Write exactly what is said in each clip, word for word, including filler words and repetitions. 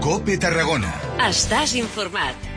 COPE Tarragona. Estàs informat.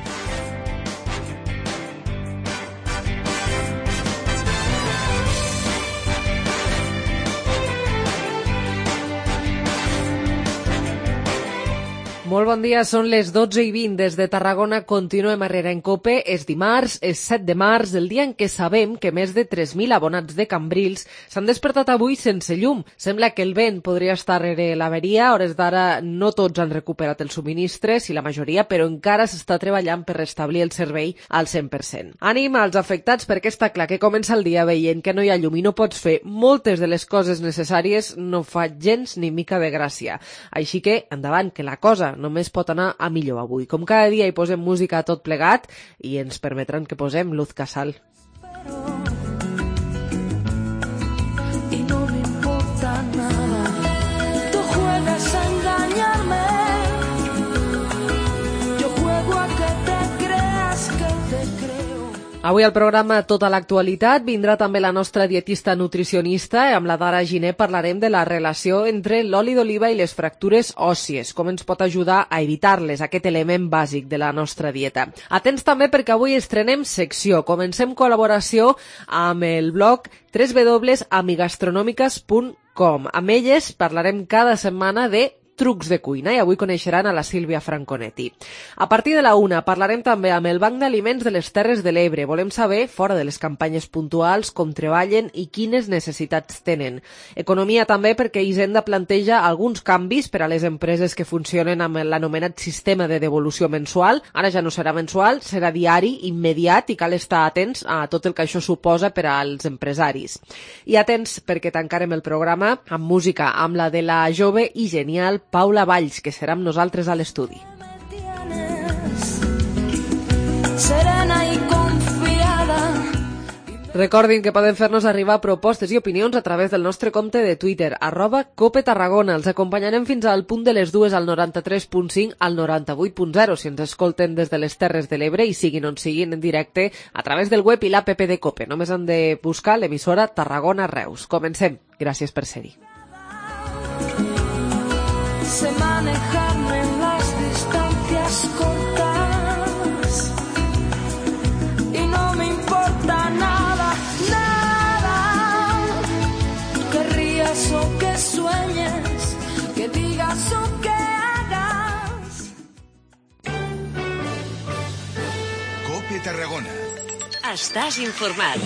Molt bon dia, són les dotze i vint des de Tarragona, continuem a Herrera en COPE, és dimarts, és set de març, el dia en què sabem que més de tres mil abonats de Cambrils s'han despertat avui sense llum. Sembla que el vent podria estar rere l'averia, a hores d'ara no tots han recuperat el subministre, si la majoria, però encara s'està treballant per restablir el servei al cent per cent. Ànim als afectats perquè està clar que comença el dia veient que no hi ha llum i no pots fer moltes de les coses necessàries, no fa gens ni mica de gràcia. Així que, endavant, que la cosa només pot anar a millor avui. Com cada dia hi posem música a tot plegat i ens permetran que posem Luz Casal. Y no me importa nada, tú juegas a engañarme, yo juego a que te creas que te creo. Avui al programa Tota l'actualitat vindrà també la nostra dietista nutricionista. Amb la Dara Giner parlarem de la relació entre l'oli d'oliva i les fractures òssies, com ens pot ajudar a evitar-les, aquest element bàsic de la nostra dieta. Atents també perquè avui estrenem secció. Comencem col·laboració amb el blog w w w punt amigastronomicas punt com. Amb elles parlarem cada setmana de trucs de cuina i avui coneixeran a la Sílvia Franconetti. A partir de la una parlarem també amb el Banc d'Aliments de les Terres de l'Ebre. Volem saber, fora de les campanyes puntuals, com treballen i quines necessitats tenen. Economia també perquè Hisenda planteja alguns canvis per a les empreses que funcionen amb l'anomenat sistema de devolució mensual. Ara ja no serà mensual, serà diari, immediat i cal estar atents a tot el que això suposa per als empresaris. I atents perquè tancarem el programa amb música, amb la de la jove i genial Paula Valls, que serà amb nosaltres a l'estudi. Serena y confiada. Recordin que poden fer-nos arribar propostes i opinions a través del nostre compte de Twitter, arroba Cope Tarragona. Els acompanyarem fins al punt de les dues al noranta-tres punt cinc al noranta-vuit punt zero si ens escolten des de les Terres de l'Ebre i siguin on siguin en directe a través del web i l'app de Cope. Només han de buscar l'emissora Tarragona Reus. Comencem. Gràcies per ser-hi. Sé manejarme en las distancias cortas y no me importa nada, nada, que rías o que sueñes, que digas o que hagas. COPE Tarragona. Estàs informat.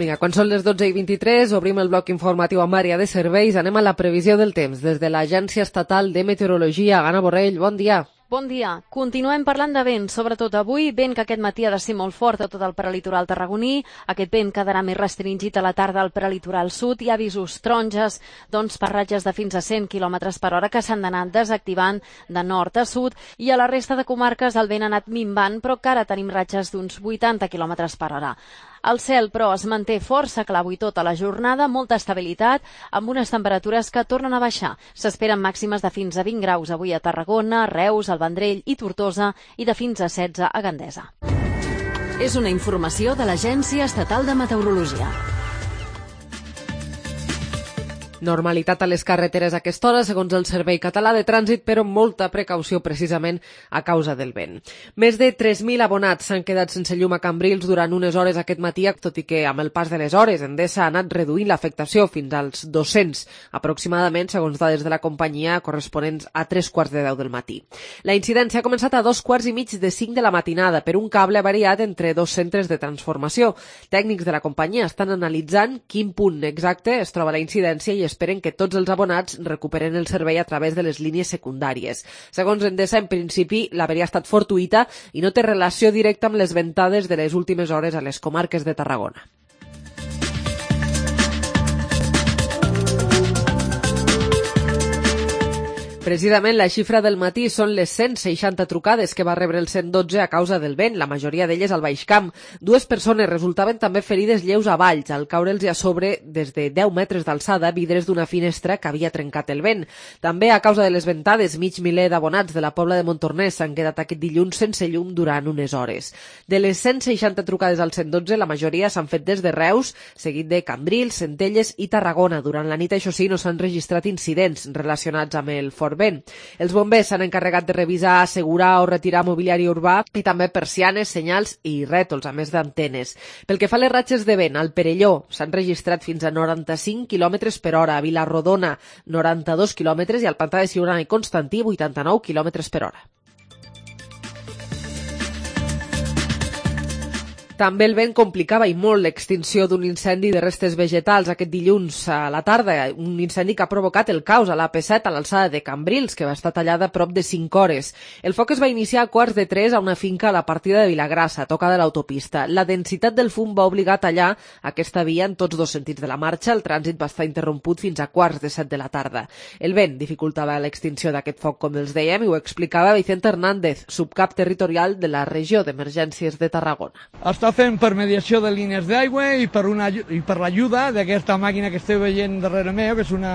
Vinga, quan són les dotze i vint-i-tres, obrim el bloc informatiu amb àrea de serveis. Anem a la previsió del temps des de l'Agència Estatal de Meteorologia. Anna Borrell, bon dia. Bon dia. Continuem parlant de vent, sobretot avui, vent que aquest matí ha de ser molt fort a tot el prelitoral tarragoní. Aquest vent quedarà més restringit a la tarda al prelitoral sud. Hi ha avisos taronges, doncs per ratges de fins a cent quilòmetres per hora que s'han d'anar desactivant de nord a sud, i a la resta de comarques el vent ha anat minvant, però que ara tenim ratges d'uns vuitanta quilòmetres per hora. El cel, però, es manté força clar avui tota la jornada, molta estabilitat, amb unes temperatures que tornen a baixar. S'esperen màximes de fins a vint graus avui a Tarragona, Reus, el Vendrell i Tortosa, i de fins a setze a Gandesa. És una informació de l'Agència Estatal de Meteorologia. Normalitat a les carreteres a aquesta hora, segons el Servei Català de Trànsit, però molta precaució precisament a causa del vent. Més de tres mil abonats s'han quedat sense llum a Cambrils durant unes hores aquest matí, tot i que amb el pas de les hores Endesa ha anat reduint l'afectació fins als dos-cents, aproximadament, segons dades de la companyia, corresponents a tres quarts de deu del matí. La incidència ha començat a dos quarts i mig de cinc de la matinada per un cable avariat entre dos centres de transformació. Tècnics de la companyia estan analitzant quin punt exacte es troba la incidència i esperen que tots els abonats recuperen el servei a través de les línies secundàries. Segons Endesa, en principi, l'averia ha estat fortuïta i no té relació directa amb les ventades de les últimes hores a les comarques de Tarragona. Precisament la xifra del matí són les cent seixanta trucades que va rebre el cent dotze a causa del vent, la majoria d'elles al Baix Camp. Dues persones resultaven també ferides lleus a Valls, al caure'ls a sobre des de deu metres d'alçada vidres d'una finestra que havia trencat el vent. També a causa de les ventades, mig miler d'abonats de la Pobla de Montornès s'han quedat aquest dilluns sense llum durant unes hores. De les cent seixanta trucades al cent dotze, la majoria s'han fet des de Reus, seguit de Cambrils, Centelles i Tarragona. Durant la nit, això sí, no s'han registrat incidents relacionats amb el fort vent. Els bombers s'han encarregat de revisar, assegurar o retirar mobiliari urbà i també persianes, senyals i rètols, a més d'antenes. Pel que fa a les ratxes de vent, al Perelló s'han registrat fins a noranta-cinc quilòmetres per hora, a Vilarrodona noranta-dos quilòmetres i al Pantà de Siurana i Constantí vuitanta-nou quilòmetres per hora. També el vent complicava i molt l'extinció d'un incendi de restes vegetals aquest dilluns a la tarda, un incendi que ha provocat el caos a l'A P set a l'alçada de Cambrils, que va estar tallada a prop de cinc hores. El foc es va iniciar a quarts de tres a una finca a la partida de Vilagrassa, a tocar de l'autopista. La densitat del fum va obligar a tallar aquesta via en tots dos sentits de la marxa. El trànsit va estar interromput fins a quarts de set de la tarda. El vent dificultava l'extinció d'aquest foc, com els dèiem, i ho explicava Vicente Hernández, subcap territorial de la regió d'emergències de Tarragona. Està fent per mediació de línies d'aigua i per una i per l'ajuda d'aquesta màquina que esteu veient darrere meu, que és una,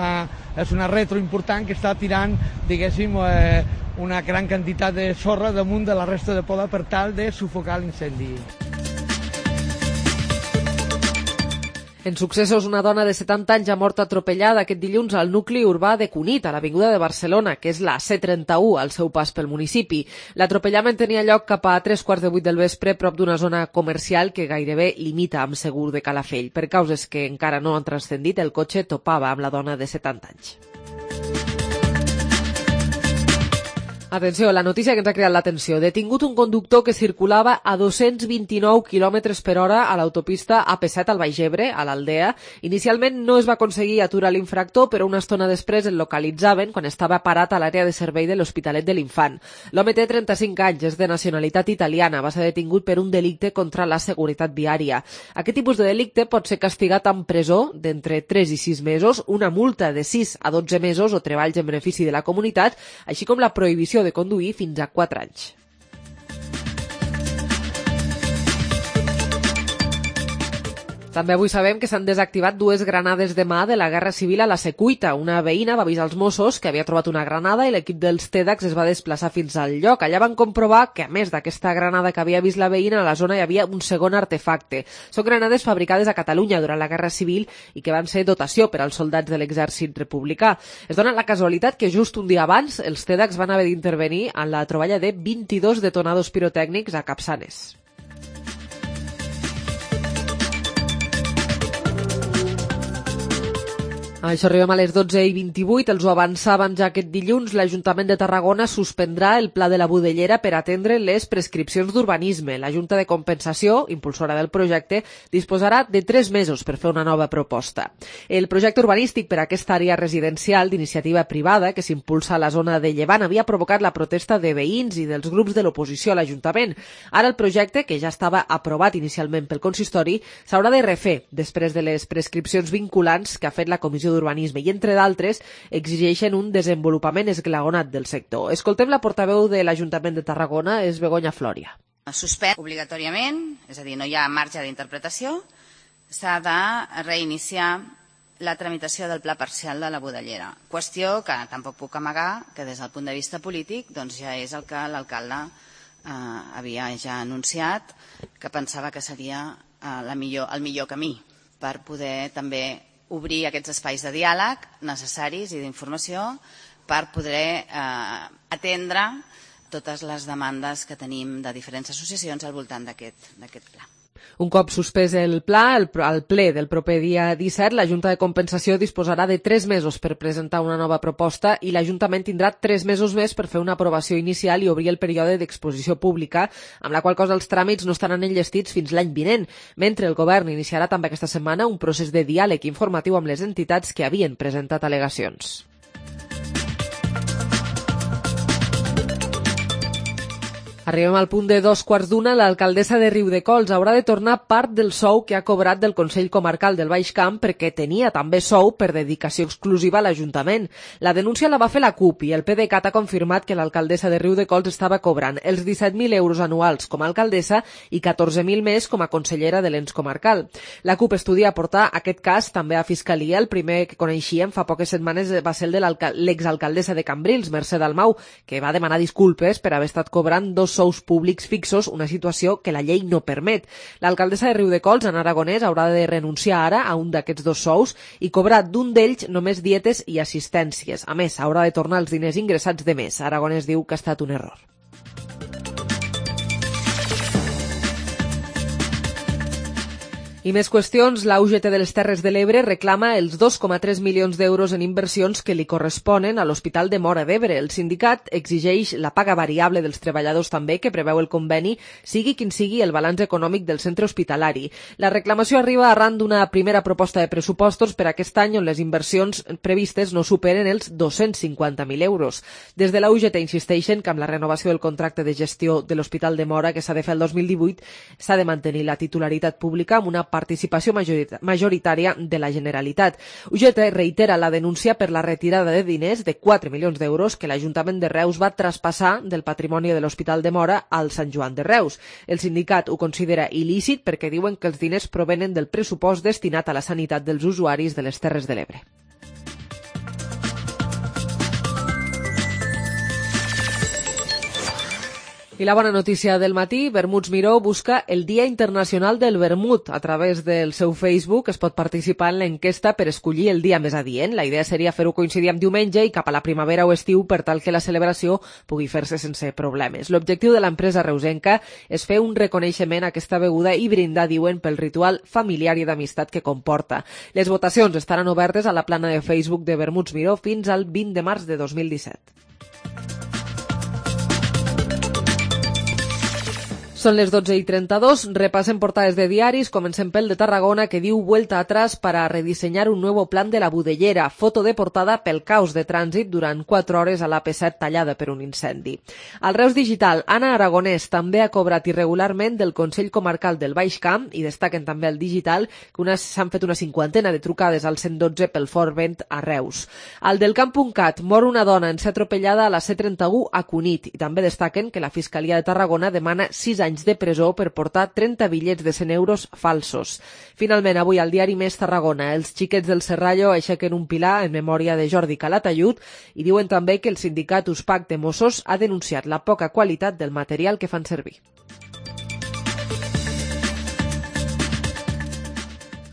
és una retro important que està tirant, diguéssim, eh, una gran quantitat de sorra damunt de la resta de poda per tal de sufocar l'incendi. En successos, una dona de setanta anys ha mort atropellada aquest dilluns al nucli urbà de Cunit, a l'avinguda de Barcelona, que és la C trenta-u, al seu pas pel municipi. L'atropellament tenia lloc cap a tres quarts de vuit del vespre, prop d'una zona comercial que gairebé limita amb Segur de Calafell. Per causes que encara no han transcendit, el cotxe topava amb la dona de setanta anys. Atenció, la notícia que ens ha creat l'atenció. Detingut un conductor que circulava a dos-cents vint-i-nou quilòmetres per hora a l'autopista A P set al Baix Ebre, a l'Aldea. Inicialment no es va aconseguir aturar l'infractor, però una estona després el localitzaven quan estava parat a l'àrea de servei de l'Hospitalet de l'Infant. L'home té trenta-cinc anys, és de nacionalitat italiana, va ser detingut per un delicte contra la seguretat viària. Aquest tipus de delicte pot ser castigat amb presó d'entre tres i sis mesos, una multa de sis a dotze mesos o treballs en benefici de la comunitat, així com la prohibició de conduir fins a quatre anys. També avui sabem que s'han desactivat dues granades de mà de la Guerra Civil a la Secuita. Una veïna va avisar als Mossos que havia trobat una granada i l'equip dels TEDx es va desplaçar fins al lloc. Allà van comprovar que, a més d'aquesta granada que havia vist la veïna, a la zona hi havia un segon artefacte. Són granades fabricades a Catalunya durant la Guerra Civil i que van ser dotació per als soldats de l'exèrcit republicà. Es dona la casualitat que just un dia abans els TEDx van haver d'intervenir en la troballa de vint-i-dos detonadors pirotècnics a Capçanes. Això arribem a les dotze i vint-i-vuit, els ho avançàvem ja aquest dilluns. L'Ajuntament de Tarragona suspendrà el Pla de la Budellera per atendre les prescripcions d'urbanisme. La Junta de Compensació, impulsora del projecte, disposarà de tres mesos per fer una nova proposta. El projecte urbanístic per a aquesta àrea residencial d'iniciativa privada que s'impulsa a la zona de Llevant havia provocat la protesta de veïns i dels grups de l'oposició a l'Ajuntament. Ara el projecte, que ja estava aprovat inicialment pel consistori, s'haurà de refer després de les prescripcions vinculants que ha fet la Comissió d'Urbanisme i, entre d'altres, exigeixen un desenvolupament esglaonat del sector. Escoltem la portaveu de l'Ajuntament de Tarragona, és Begoña Floria. Suspèn obligatòriament, és a dir, no hi ha marge d'interpretació, s'ha de reiniciar la tramitació del pla parcial de la Budellera. Qüestió que tampoc puc amagar que des del punt de vista polític doncs ja és el que l'alcalde eh, havia ja anunciat, que pensava que seria eh, la millor, el millor camí per poder també obrir aquests espais de diàleg necessaris i d'informació per poder eh, atendre totes les demandes que tenim de diferents associacions al voltant d'aquest d'aquest pla. Un cop suspès el pla, el, el ple del proper dia disset, la Junta de Compensació disposarà de tres mesos per presentar una nova proposta i l'Ajuntament tindrà tres mesos més per fer una aprovació inicial i obrir el període d'exposició pública, amb la qual cosa els tràmits no estaran enllestits fins l'any vinent, mentre el Govern iniciarà també aquesta setmana un procés de diàleg informatiu amb les entitats que havien presentat al·legacions. Arribem al punt de dos quarts d'una. L'alcaldessa de Riudecols haurà de tornar part del sou que ha cobrat del Consell Comarcal del Baix Camp perquè tenia també sou per dedicació exclusiva a l'Ajuntament. La denúncia la va fer la CUP i el PDeCAT ha confirmat que l'alcaldessa de Riudecols estava cobrant els disset mil euros anuals com a alcaldessa i catorze mil més com a consellera de l'ens comarcal. La CUP estudia portar aquest cas també a Fiscalia. El primer que coneixíem fa poques setmanes va ser el de l'exalcaldessa de Cambrils, Mercè Dalmau, que va demanar disculpes per haver estat cobrant dos sous públics fixos, una situació que la llei no permet. L'alcaldessa de Riudecols, Ana Aragonès, haurà de renunciar ara a un d'aquests dos sous i cobrar d'un d'ells només dietes i assistències. A més, haurà de tornar els diners ingressats de mes. Aragonès diu que ha estat un error. I més qüestions. La U G T de les Terres de l'Ebre reclama els dos coma tres milions d'euros en inversions que li corresponen a l'Hospital de Móra d'Ebre. El sindicat exigeix la paga variable dels treballadors també, que preveu el conveni, sigui quin sigui el balanç econòmic del centre hospitalari. La reclamació arriba arran d'una primera proposta de pressupostos per aquest any on les inversions previstes no superen els dos-cents cinquanta mil euros. Des de la U G T insisteixen que amb la renovació del contracte de gestió de l'Hospital de Móra, que s'ha de fer el dos mil divuit, s'ha de mantenir la titularitat pública amb una participació majoritària de la Generalitat. U G T reitera la denúncia per la retirada de diners de quatre milions d'euros que l'Ajuntament de Reus va traspassar del patrimoni de l'Hospital de Móra al Sant Joan de Reus. El sindicat ho considera il·lícit perquè diuen que els diners provenen del pressupost destinat a la sanitat dels usuaris de les Terres de l'Ebre. I la bona notícia del matí, Vermuts Miró busca el Dia Internacional del Vermut. A través del seu Facebook es pot participar en l'enquesta per escollir el dia més adient. La idea seria fer-ho coincidir amb diumenge i cap a la primavera o estiu per tal que la celebració pugui fer-se sense problemes. L'objectiu de l'empresa reusenca és fer un reconeixement a aquesta beguda i brindar, diuen, pel ritual familiar i d'amistat que comporta. Les votacions estaran obertes a la plana de Facebook de Vermuts Miró fins al vint de març de dos mil disset. Són les dotze i trenta-dos, repassem portades de diaris, comencem pel de Tarragona, que diu vuelta atrás para rediseñar un nuevo plan de la Budellera. Foto de portada pel caos de trànsit durant quatre hores a l'A P set tallada per un incendi. Al Reus Digital, Ana Aragonès també ha cobrat irregularment del Consell Comarcal del Baix Camp i destaquen també al Digital que s'han fet una cinquantena de trucades al cent dotze pel fort vent a Reus. Al del Camp.cat, mor una dona en ser atropellada a la C trenta-u a Cunit i també destaquen que la Fiscalia de Tarragona demana sis anys de presó per portar trenta bitllets de cent euros falsos. Finalment, avui al diari Més Tarragona, els xiquets del Serrallo aixequen un pilar en memòria de Jordi Calatayud i diuen també que el sindicat USPAC de Mossos ha denunciat la poca qualitat del material que fan servir.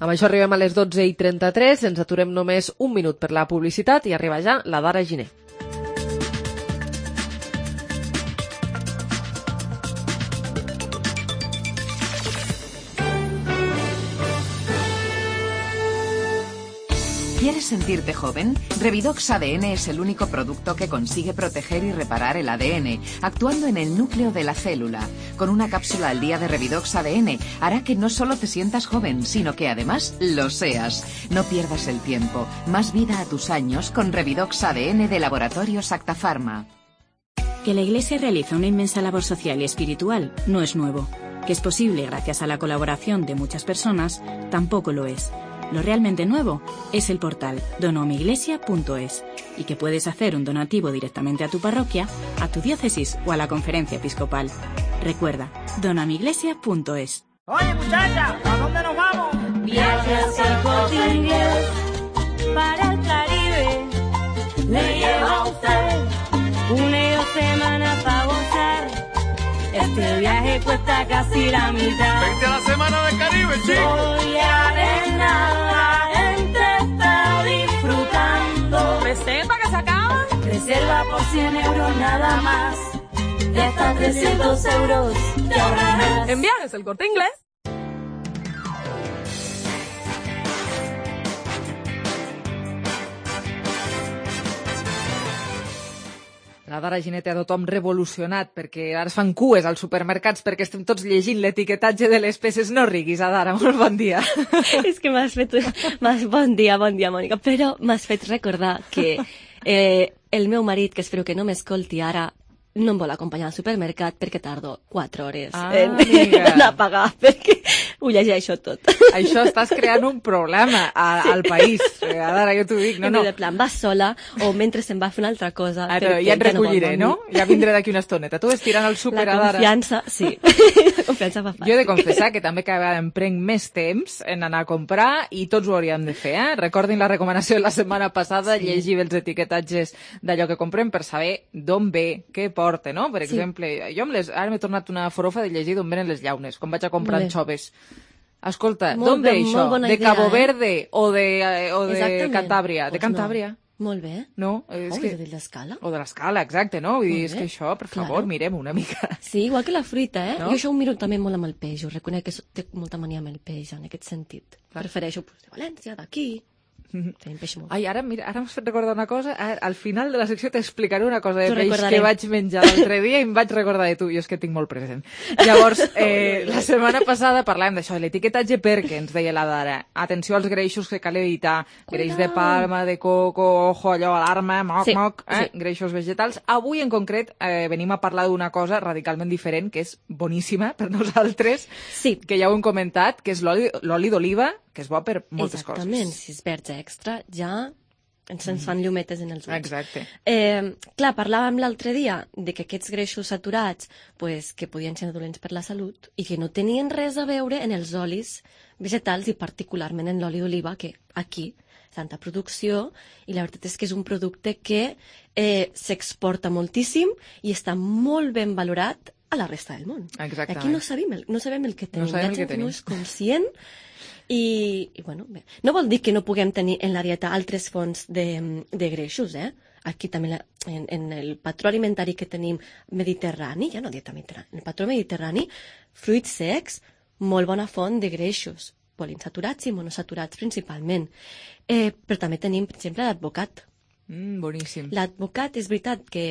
Amb això arribem a les dotze i trenta-tres, ens aturem només un minut per la publicitat i arriba ja la Dara Giner. ¿Quieres sentirte joven? Revidox A D N es el único producto que consigue proteger y reparar el A D N, actuando en el núcleo de la célula. Con una cápsula al día de Revidox A D N hará que no solo te sientas joven, sino que además lo seas. No pierdas el tiempo. Más vida a tus años con Revidox A D N de Laboratorios Acta Pharma. Que la Iglesia realiza una inmensa labor social y espiritual no es nuevo. Que es posible gracias a la colaboración de muchas personas tampoco lo es. Lo realmente nuevo es el portal donomiglesia punto es y que puedes hacer un donativo directamente a tu parroquia, a tu diócesis o a la conferencia episcopal. Recuerda, donomiglesia punto es. Oye muchacha, ¿a dónde nos vamos? Viajes al Corte Inglés para el Caribe. Le lleva a usted una semana para gozar. Este viaje cuesta casi la mitad. Vente a la semana del Caribe, chico. Voy a ver nada, la gente está disfrutando. ¿Reserva que se acaba? Reserva por cien euros nada más. De hasta trescientos euros te ahorrarás. En Viajes el Corte Inglés. La Dara Giner té a tothom revolucionat perquè ara es fan cues als supermercats perquè estem tots llegint l'etiquetatge de les peces. No riguis, Adara, molt bon dia. És que m'has fet... M'has... Bon dia, bon dia, Mònica. Però m'has fet recordar que eh, el meu marit, que espero que no m'escolti ara, no em vol acompanyar al supermercat perquè tardo quatre hores Ah, en, amiga. en a pagar, perquè ho llegeixo tot. Això estàs creant un problema a, Sí. al país. Eh, Ara jo t'ho dic, no, I no. de plan, vas sola o mentre se'n va a fer una altra cosa. Ara, perquè ja et vol recolliré, dormir. no? Ja vindré d'aquí una estoneta. Tu ves tirant al súper La a d'ara. confiança, sí. La confiança fa fàcil. Jo he de confessar que també cada vegada em prenc més temps en anar a comprar i tots ho hauríem de fer, eh? Recordin la recomanació de la setmana passada, Sí. llegir els etiquetatges d'allò que comprem per saber d'on ve, què porta, no? Per Sí. exemple, jo amb les... ara m'he tornat una forofa de llegir d'on venen les llaunes, quan vaig a comprar Molt bé. anxoves. Escolta, Molt d'on ve bé, això? molt bona De idea, Cabo eh? Verde o de, eh, o de Exactament. Cantàbria? De Doncs Cantàbria. no. Molt bé. No, és Oh, que... és de l'escala. O de l'escala, exacte, no? Vull dir, Molt és bé. que això, per Claro. favor, mirem una mica. Sí, igual que la fruita, eh? No? Jo això ho miro també molt amb el peix, ho reconec que so- té molta mania amb el peix, en aquest sentit. Prefereixo pues, de València, d'aquí. Tenim peix molt. Ai, ara, mira, ara m'has fet recordar una cosa. Ara, al final de la secció t'explicaré una cosa de T'ho peix recordaré. que vaig menjar l'altre dia i em vaig recordar de tu. Jo és que tinc molt present. Llavors, eh, la setmana passada parlàvem d'això, de l'etiquetatge perquè ens deia la Dara. Atenció als greixos que cal evitar. Greix de palma, de coco, ojo, allò, alarma, moc, Sí, moc, eh? sí. greixos vegetals. Avui, en concret, eh, venim a parlar d'una cosa radicalment diferent, que és boníssima per nosaltres, sí. que ja ho hem comentat, que és l'oli l'oli d'oliva, que és bo per moltes Exactament, coses. si es verge extra, ja ens ens fan llumetes en els ulls. Exacte. Eh, clar, parlàvem l'altre dia de que aquests greixos saturats pues, que podien ser dolents per la salut i que no tenien res a veure en els olis vegetals i particularment en l'oli d'oliva, que aquí tanta producció, i la veritat és que és un producte que eh, s'exporta moltíssim i està molt ben valorat a la resta del món. Exactament. Aquí no sabem el, no sabem el que tenim. sabem Hi ha el que gent que tenim. no és conscient i, i bueno, bé. No vol dir que no puguem tenir en la dieta altres fonts de, de greixos, eh? Aquí també la, en, en el patró alimentari que tenim mediterrani, ja no dieta mediterrani, en el patró mediterrani, fruits secs, molt bona font de greixos, poliinsaturats i monosaturats principalment. Eh, però també tenim, per exemple, l'advocat. Mm, boníssim. L'advocat és veritat que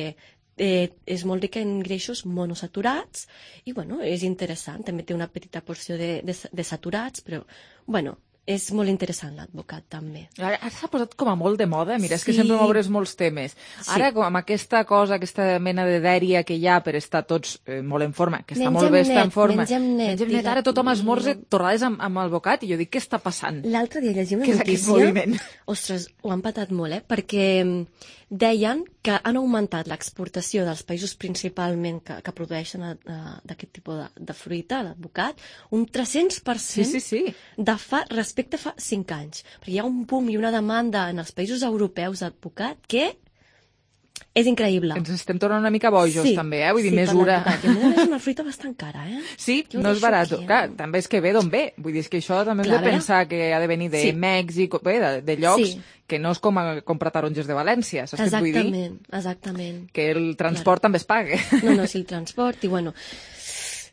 eh, és molt rica en greixos monosaturats i, bueno, és interessant. També té una petita porció de, de, de saturats, però, bueno, és molt interessant l'advocat, també. Ara, ara s'ha posat com a molt de moda, mira, és que Sí. sempre m'obres molts temes. Ara, Sí. com amb aquesta cosa, aquesta mena de dèria que hi ha per estar tots eh, molt en forma, que està Mengem molt bé estar en net, forma. mengem net, Mengem net. diga- Ara tothom esmorza torrades amb, amb alvocat i jo dic, què està passant? L'altre dia llegia una Què és aquest notícia... moviment? Ostres, ho han patat molt, eh? Perquè mm, deien que han augmentat l'exportació dels països principalment que, que produeixen eh, d'aquest tipus de, de fruita, l'advocat, un tres-cents per cent Sí, sí, sí. de fa, respecte a fa cinc anys. Perquè hi ha un boom i una demanda en els països europeus d'advocat que és increïble. Ens estem tornant una mica bojos, també, eh? Vull dir, sí, per mesura. l'advocat. I a més a més és una fruita bastant cara, eh? Sí, Jo ho no és deixo barat. aquí, eh? Clar, també és que ve d'on ve. Vull dir, és que això també Clar, hem de eh? pensar que ha de venir de Sí. Mèxic, bé, de, de llocs Sí. que no és com a comprar taronges de València, saps què et vull dir? Exactament, exactament. Que el transport també es paga. No, no, sí, el transport, i bueno,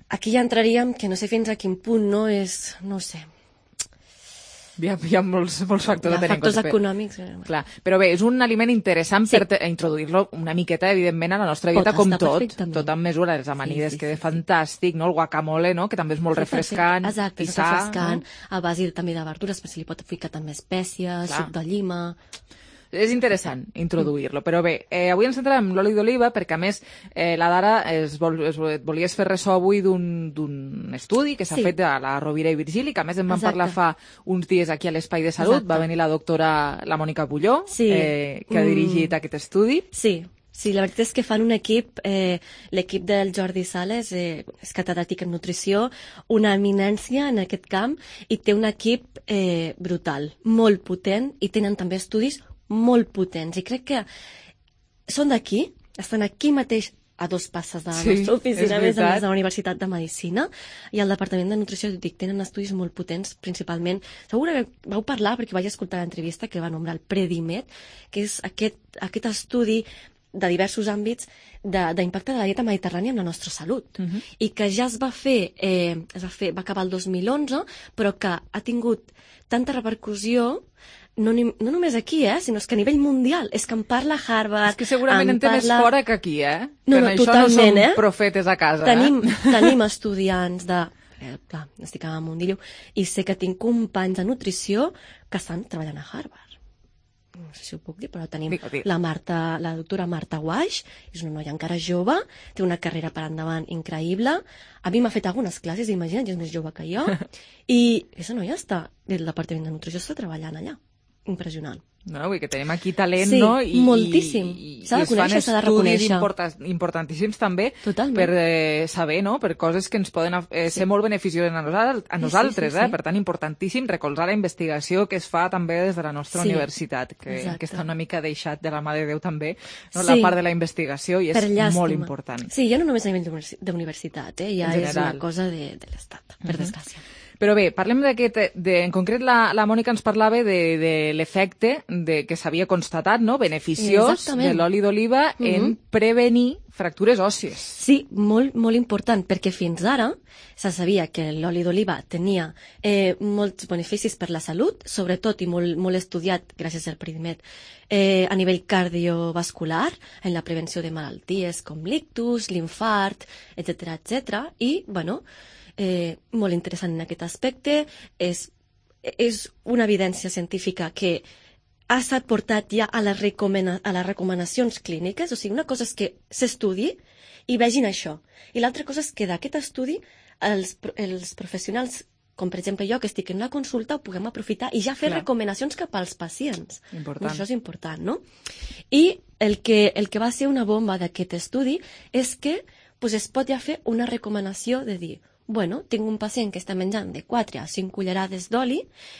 aquí ja entraríem, que no sé fins a quin punt no és, no sé, Hi ha, hi ha molts, molts factors hi a ha tenir en factors compte. econòmics. eh, Clar, però bé, és un aliment interessant Sí. per te- introduir-lo una miqueta, evidentment, a la nostra dieta, Pot com estar tot, perfectament. tot amb mesura. Les amanides Sí, sí, queda sí, sí. fantàstic, no? El guacamole, no? Que també és molt refrescant Exacte, i és sa. refrescant, No? a base també de verdures, però se li pot ficar també espècies, Clar. suc de llima... És interessant introduir-lo, però bé, eh, avui ens centrem en l'oli d'oliva perquè, a més, eh, la Dara es, vol, es vol- volies fer ressò avui d'un d'un estudi que s'ha Sí. fet a la Rovira i Virgili, que a més en vam Exacte. parlar fa uns dies aquí a l'Espai de Salut. Exacte. Va venir la doctora, la Mònica Bulló, Sí. eh, que ha Mm. dirigit aquest estudi. Sí, sí, la veritat és que fan un equip, eh, l'equip del Jordi Sales, eh, és catedràtic en nutrició, una eminència en aquest camp, i té un equip eh, brutal, molt potent, i tenen també estudis molt potents. I crec que són d'aquí, estan aquí mateix a dos passes de la Sí, nostra és oficina, a més a veritat. més de la Universitat de Medicina, i al Departament de Nutrició, dic, tenen estudis molt potents, principalment. Segur que vau parlar, perquè vaig escoltar l'entrevista que va nombrar el Predimet, que és aquest, aquest estudi de diversos àmbits de- d'impacte de, de la dieta mediterrània en la nostra salut, uh -huh. i que ja es va fer, eh, es va fer, va acabar el dos mil onze, però que ha tingut tanta repercussió no, ni, no només aquí, eh, sinó és que a nivell mundial. És que en parla Harvard... És que segurament en té més parla... fora que aquí, eh? No, que no, en això totalment, no som eh? profetes a casa. Tenim, eh? tenim estudiants de... Eh, clar, estic a Mundillo, i sé que tinc companys de nutrició que estan treballant a Harvard. no sé si ho puc dir, però tenim la Marta, la doctora Marta Guaix, és una noia encara jove, té una carrera per endavant increïble. A mi m'ha fet algunes classes, imagina't, és més jove que jo, i aquesta noia està, del Departament de Nutrició, està treballant allà. Impressionant. No, vull que tenim aquí talent, sí, no? I, moltíssim. S'ha de conèixer, s'ha de reconèixer. I es fan estudis importantíssims també Totalment. per eh, saber, no?, per coses que ens poden eh, ser sí. molt beneficioses a, nosal a nosaltres, sí, sí, sí, sí. eh? Per tant, importantíssim recolzar la investigació que es fa també des de la nostra sí. universitat, que, que està una mica deixat de la mà de Déu també, no? Sí. La part de la investigació, i és molt important. Sí, ja no només a nivell d'universitat, eh? Ja és una cosa de, de l'Estat, per uh-huh. desgràcia. Però bé, parlem d'aquest, de, en concret la, la Mònica ens parlava de, de l'efecte de, que s'havia constatat, no?, beneficiós Exactament. de l'oli d'oliva uh-huh. en prevenir fractures òssies. Sí, molt, molt important, perquè fins ara se sabia que l'oli d'oliva tenia eh, molts beneficis per la salut, sobretot i molt, molt estudiat gràcies al Predimed, eh, a nivell cardiovascular, en la prevenció de malalties com l'ictus, l'infart, etcètera, etcètera, i, bueno, Eh, molt interessant en aquest aspecte. És, és una evidència científica que ha estat portat ja a les, recomana a les recomanacions clíniques, o sigui, una cosa és que s'estudi i vegin això, i l'altra cosa és que d'aquest estudi els, els professionals, com per exemple jo, que estic en una consulta, ho puguem aprofitar i ja fer Clar. recomanacions cap als pacients. Important. Això és important, no? I el que, el que va ser una bomba d'aquest estudi és que pues, es pot ja fer una recomanació de dir bueno, tinc un pacient que està menjant de quatre a cinc cullerades d'oli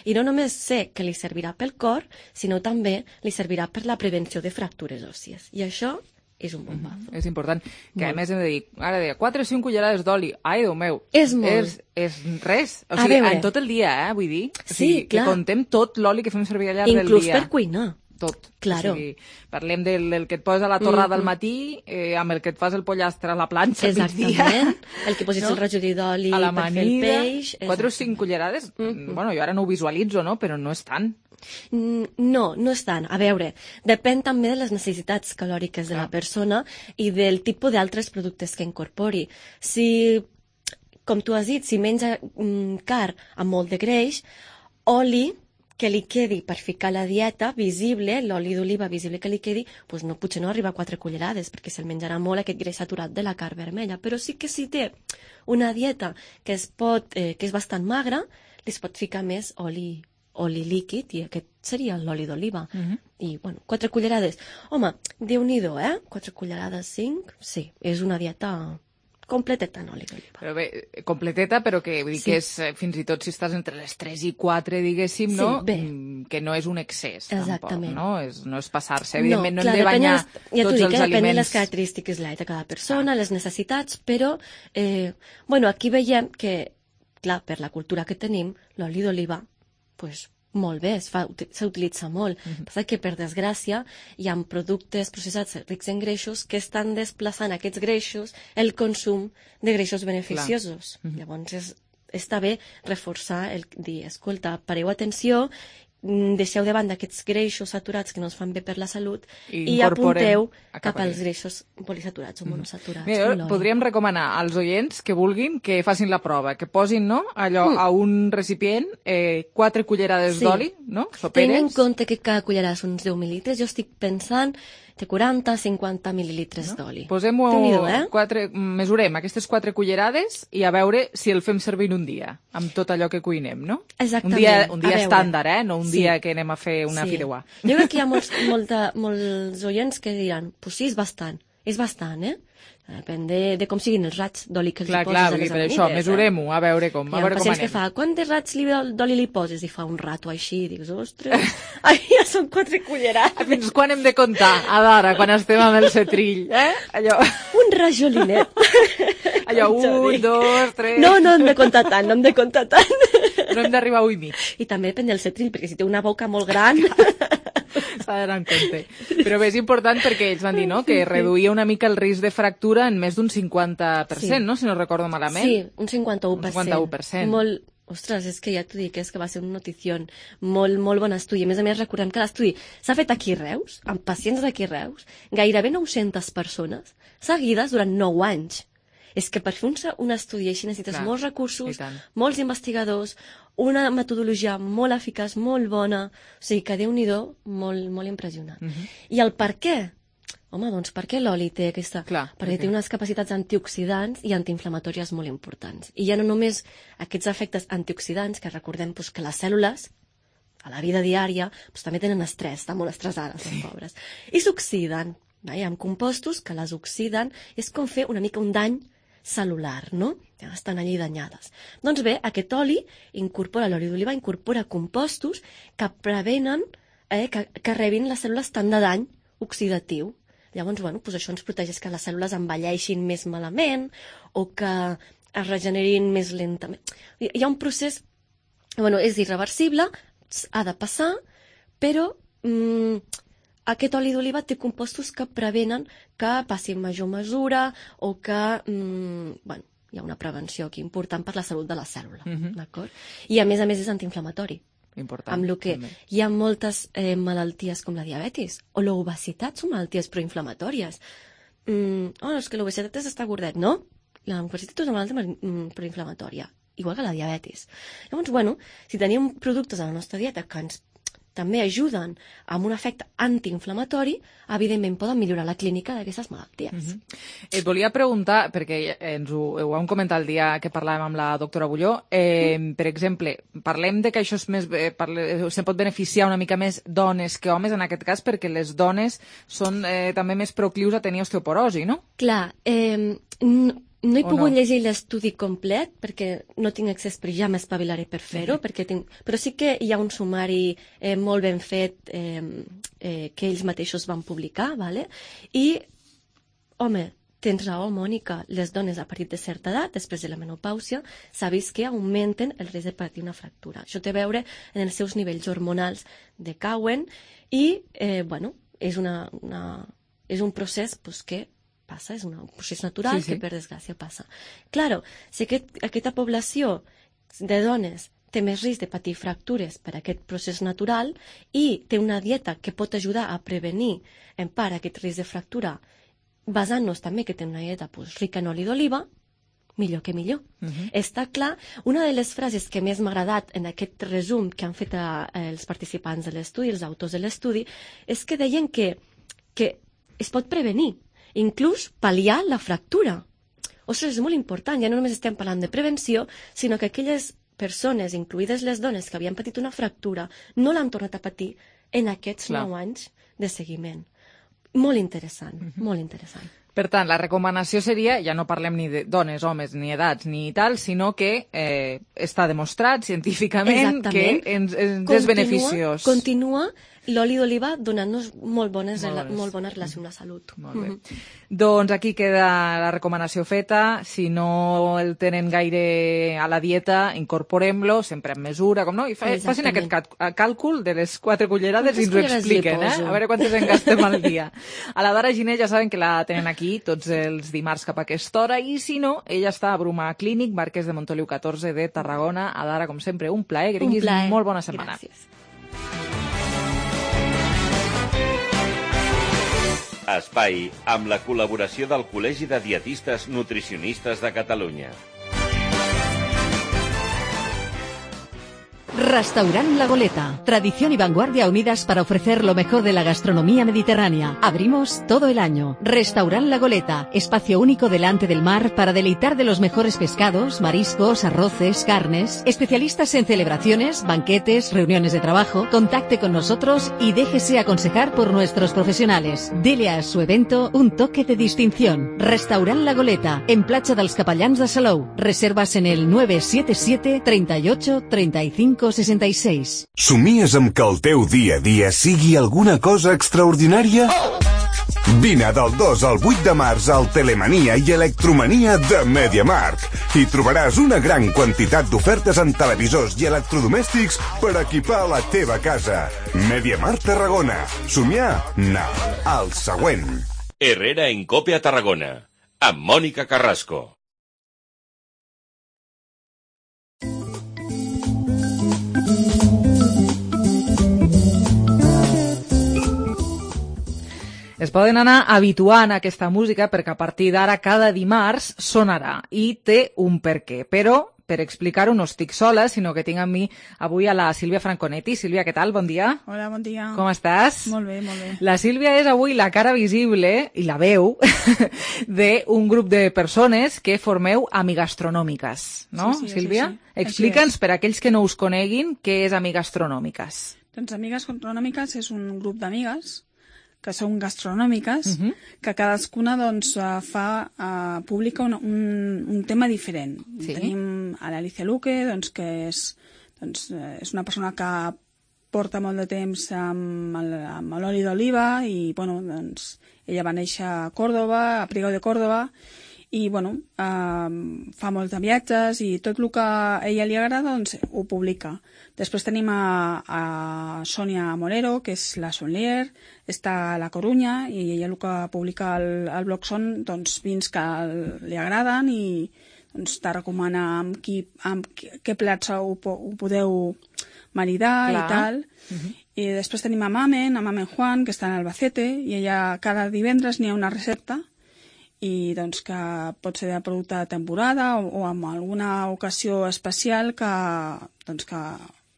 i no només sé que li servirà pel cor, sinó també li servirà per la prevenció de fractures òssies. I això és un bombazo. Mm-hmm. És important. Que molt. A més hem de dir, ara deia, quatre o cinc cullerades d'oli. Ai, Déu meu. És molt. És, és res. O sigui, en tot el dia, eh, vull dir. O sigui, sí, clar. Que contem tot l'oli que fem servir al llarg Inclús del dia. Inclús per cuinar. Tot. Claro. O sigui, parlem del, del que et posa a la torrada mm-hmm. al matí, eh, amb el que et fas el pollastre a la planxa al Exactament. El que posis no? el rajolí d'oli per fer el peix. Quatre o cinc cullerades, mm-hmm. bueno, jo ara no ho visualitzo, no? Però no és tant. No, no és tant. A veure, depèn també de les necessitats calòriques de ah. la persona i del tipus d'altres productes que incorpori. Si, com tu has dit, si menja mm, car amb molt de greix, oli que li quedi per ficar la dieta visible, l'oli d'oliva visible que li quedi, doncs no, potser no arriba a quatre cullerades, perquè se'l menjarà molt aquest greix saturat de la carn vermella. Però sí que si té una dieta que, es pot, eh, que és bastant magra, li es pot ficar més oli, oli líquid, i aquest seria l'oli d'oliva. Uh-huh. I, bueno, quatre cullerades. Home, Déu-n'hi-do, eh? Quatre cullerades, cinc? Sí, és una dieta completeta en oli d'oliva. Però bé, completeta, però que vull dir sí. que és, fins i tot si estàs entre les tres i quatre, diguéssim, no? Sí, bé. Que no és un excés, Exactament. tampoc, no? És, no és passar-se. Evidentment no, clar, hem de banyar les, ja tots dic, els eh, aliments. Depèn de les característiques de cada persona, ah. les necessitats, però, eh, bueno, aquí veiem que, clar, per la cultura que tenim, l'oli d'oliva, pues, molt bé, s'utilitza molt. Uh-huh. Passa que, per desgràcia, hi ha productes processats rics en greixos que estan desplaçant aquests greixos el consum de greixos beneficiosos. Uh-huh. Llavors, és, està bé reforçar el dir, escolta, pareu atenció, deixeu de banda aquests greixos saturats que no ens fan bé per la salut i, i apunteu cap als greixos polisaturats o monosaturats. Mira, podríem recomanar als oients que vulguin que facin la prova, que posin, no, allò mm. a un recipient eh, quatre cullerades sí. d'oli, no? Soperes. Tenint en compte que cada cullerada són uns deu mil·litres, jo estic pensant de quaranta a cinquanta mil·lilitres no? d'oli. Posem-ho, eh? quatre, mesurem aquestes quatre cullerades i a veure si el fem servir un dia, amb tot allò que cuinem, no? Exactament. Un dia, un dia estàndard, eh? No un sí. dia que anem a fer una sí. fideuà. Jo crec que hi ha molts, molta, molts oients que diran, pues sí, és bastant, és bastant, eh? Depèn de, de com siguin els raigs d'oli que els clar, hi poses clar, a les amanides. Clar, això, mesurem-ho, a veure com, a veure com anem. que fa, quants raigs d'oli li poses? I fa un rato així, i dius, ostres, ai, ja són quatre cullerades. Fins quan hem de comptar? A l'hora, quan estem amb el cetrill, eh? Allò... Un rajolinet. Allò, un, dos, tres... No, no hem de comptar tant, no hem de comptar tant. No hem d'arribar a un i mig. I també depèn del cetrill, perquè si té una boca molt gran... S'ha d'anar en compte. Però bé, és important perquè ells van dir, no?, que reduïa una mica el risc de fractura en més d'un cinquanta per cent, sí. no?, si no recordo malament. Sí, un cinquanta-u per cent. Un cinquanta-u per cent. Molt... Ostres, és que ja t'ho dic, és que va ser una notició molt, molt bon estudi. A més a més, recordem que l'estudi s'ha fet aquí a Reus, amb pacients d'aquí a Reus, gairebé nou-centes persones, seguides durant nou anys. És que per fer un, un estudi així necessites Clar, molts recursos, i tant. molts investigadors, una metodologia molt eficaç, molt bona, o sigui que Déu-n'hi-do, molt, molt impressionant. Mhm. I el per què? Home, doncs per què l'oli té aquesta... Clar, perquè perquè- té unes capacitats antioxidants i antiinflamatòries molt importants. I ja no només aquests efectes antioxidants, que recordem doncs, que les cèl·lules, a la vida diària, doncs, també tenen estrès, estan molt estressades, les pobres. I s'oxiden. Hi ha compostos que les oxiden, és com fer una mica un dany celular, no? Ja estan allí danyades. Doncs bé, aquest oli incorpora, l'oli d'oliva incorpora compostos que prevenen eh, que, que rebin les cèl·lules tant de dany oxidatiu. Llavors, bueno, doncs això ens protegeix que les cèl·lules envelleixin més malament o que es regenerin més lentament. Hi ha un procés, bueno, és irreversible, ha de passar, però mm, aquest oli d'oliva té compostos que prevenen que passi en major mesura o que, mm, bueno, hi ha una prevenció aquí important per la salut de la cèl·lula, Mhm. d'acord? I a més a més és antiinflamatori. Important. Amb el que també. hi ha moltes eh, malalties com la diabetis o l'obesitat són malalties proinflamatòries. Mm, oh, és que l'obesitat és estar gordet, no? L'obesitat és una malaltia mm, proinflamatòria, igual que la diabetis. Llavors, bueno, si tenim productes a la nostra dieta que ens també ajuden amb un efecte antiinflamatori, evidentment poden millorar la clínica d'aquestes malalties. Mhm. Et volia preguntar, perquè ens ho, ho vam comentar el dia que parlàvem amb la doctora Bulló, eh, mm. per exemple, parlem de que això és més, eh, parle, se pot beneficiar una mica més dones que homes en aquest cas, perquè les dones són eh, també més proclius a tenir osteoporosi, no? Clar, eh, n- no he O pogut no? llegir l'estudi complet perquè no tinc accés, però ja m'espavilaré per fer-ho, Mhm. perquè tinc... però sí que hi ha un sumari eh, molt ben fet eh, eh, que ells mateixos van publicar, vale? I, home, tens raó, Mònica, les dones a partir de certa edat, després de la menopàusia, s'ha vist que augmenten el risc de patir una fractura. Això té a veure en els seus nivells hormonals decauen i, eh, bueno, és, una, una, és un procés pues, que passa, és un procés natural Sí, sí. que per desgràcia passa. Claro, si aquest, aquesta població de dones té més risc de patir fractures per aquest procés natural i té una dieta que pot ajudar a prevenir en part aquest risc de fractura, basant-nos també que té una dieta pues, rica en oli d'oliva, millor que millor. Mhm. Està clar, una de les frases que més m'ha agradat en aquest resum que han fet a, a els participants de l'estudi, els autors de l'estudi, és que deien que, que es pot prevenir, inclús pal·liar la fractura. Ostres, és molt important, ja no només estem parlant de prevenció, sinó que aquelles persones, incluïdes les dones que havien patit una fractura, no l'han tornat a patir en aquests Clar. nou anys de seguiment. Molt interessant, Mhm. molt interessant. Per tant, la recomanació seria, ja no parlem ni de dones, homes, ni edats, ni tal, sinó que eh, està demostrat científicament Exactament. que ens, ens Continua- és beneficiós. Continua l'oli d'oliva donant-nos molt bones, Molt rela- bones. molt bona relació amb la salut. Molt bé. Mhm. Doncs aquí queda la recomanació feta. Si no el tenen gaire a la dieta, incorporem-lo, sempre en mesura, com no? I fa, facin aquest Exactament. cal- càlcul de les quatre cullerades i ens Quantes ho cullerades li expliquen, eh? poso? A veure quantes en gastem al dia. A la Dara Giner ja saben que la tenen aquí tots els dimarts cap a aquesta hora i si no, ella està a Bruma Clínic, Marquès de Montoliu catorze de Tarragona. A Dara, com sempre, un plaer. Que Un tinguis plaer. molt bona setmana. Gràcies. Espai amb la col·laboració del Col·legi de Dietistes Nutricionistes de Catalunya. Restaurant La Goleta. Tradición y vanguardia unidas para ofrecer lo mejor de la gastronomía mediterránea. Abrimos todo el año. Restaurant La Goleta. Espacio único delante del mar para deleitar de los mejores pescados, mariscos, arroces, carnes. Especialistas en celebraciones, banquetes, reuniones de trabajo. Contacte con nosotros y déjese aconsejar por nuestros profesionales. Dele a su evento un toque de distinción. Restaurant La Goleta. En Platja dels Capellans de Salou. Reservas en el nueve siete siete, treinta y ocho, treinta y cinco, sesenta y seis. Somies amb que el teu dia a dia sigui alguna cosa extraordinària? Vine del dos al vuit de març al Telemania i Electromania de MediaMarkt i trobaràs una gran quantitat d'ofertes en televisors i electrodomèstics per equipar la teva casa. MediaMarkt Tarragona. Somiar? No. El següent. Herrera en Cope a Tarragona, amb Mònica Carrasco. Es poden anar habituant a aquesta música perquè a partir d'ara cada dimarts sonarà i té un per què. Però, per explicar-ho, no estic sola, sinó que tinc amb mi avui a la Sílvia Franconetti. Sílvia, què tal? Bon dia. Hola, bon dia. Com estàs? Molt bé, molt bé. La Sílvia és avui la cara visible i la veu d'un grup de persones que formeu Amigastronòmiques, no, sí, sí, Sílvia? sí, sí. Explica'ns, per a aquells que no us coneguin, què és Amigastronòmiques. Doncs Amigastronòmiques és un grup d'amigues que són gastronòmiques, uh -huh. que cadascuna doncs, fa, uh, publica un, un, un tema diferent. Sí. Tenim a l'Alicia Luque, doncs, que és, doncs, és una persona que porta molt de temps amb, amb l'oli d'oliva i bueno, doncs, ella va néixer a Còrdova, a Priego de Còrdova, i bueno, eh, fa molts de viatges i tot el que a ella li agrada doncs, ho publica. Després tenim a, a Sònia Morero, que és la sommelier, està a La Corunya i ella el que publica al, al blog són doncs, vins que li agraden i doncs, te recomana amb, qui, amb què plats ho, ho podeu maridar. Clar. I tal. Uh-huh. I després tenim a Mamen, a Mamen Juan, que està en Albacete, i ella cada divendres n'hi ha una recepta i doncs que pot ser de producte de temporada o, o amb alguna ocasió especial que doncs que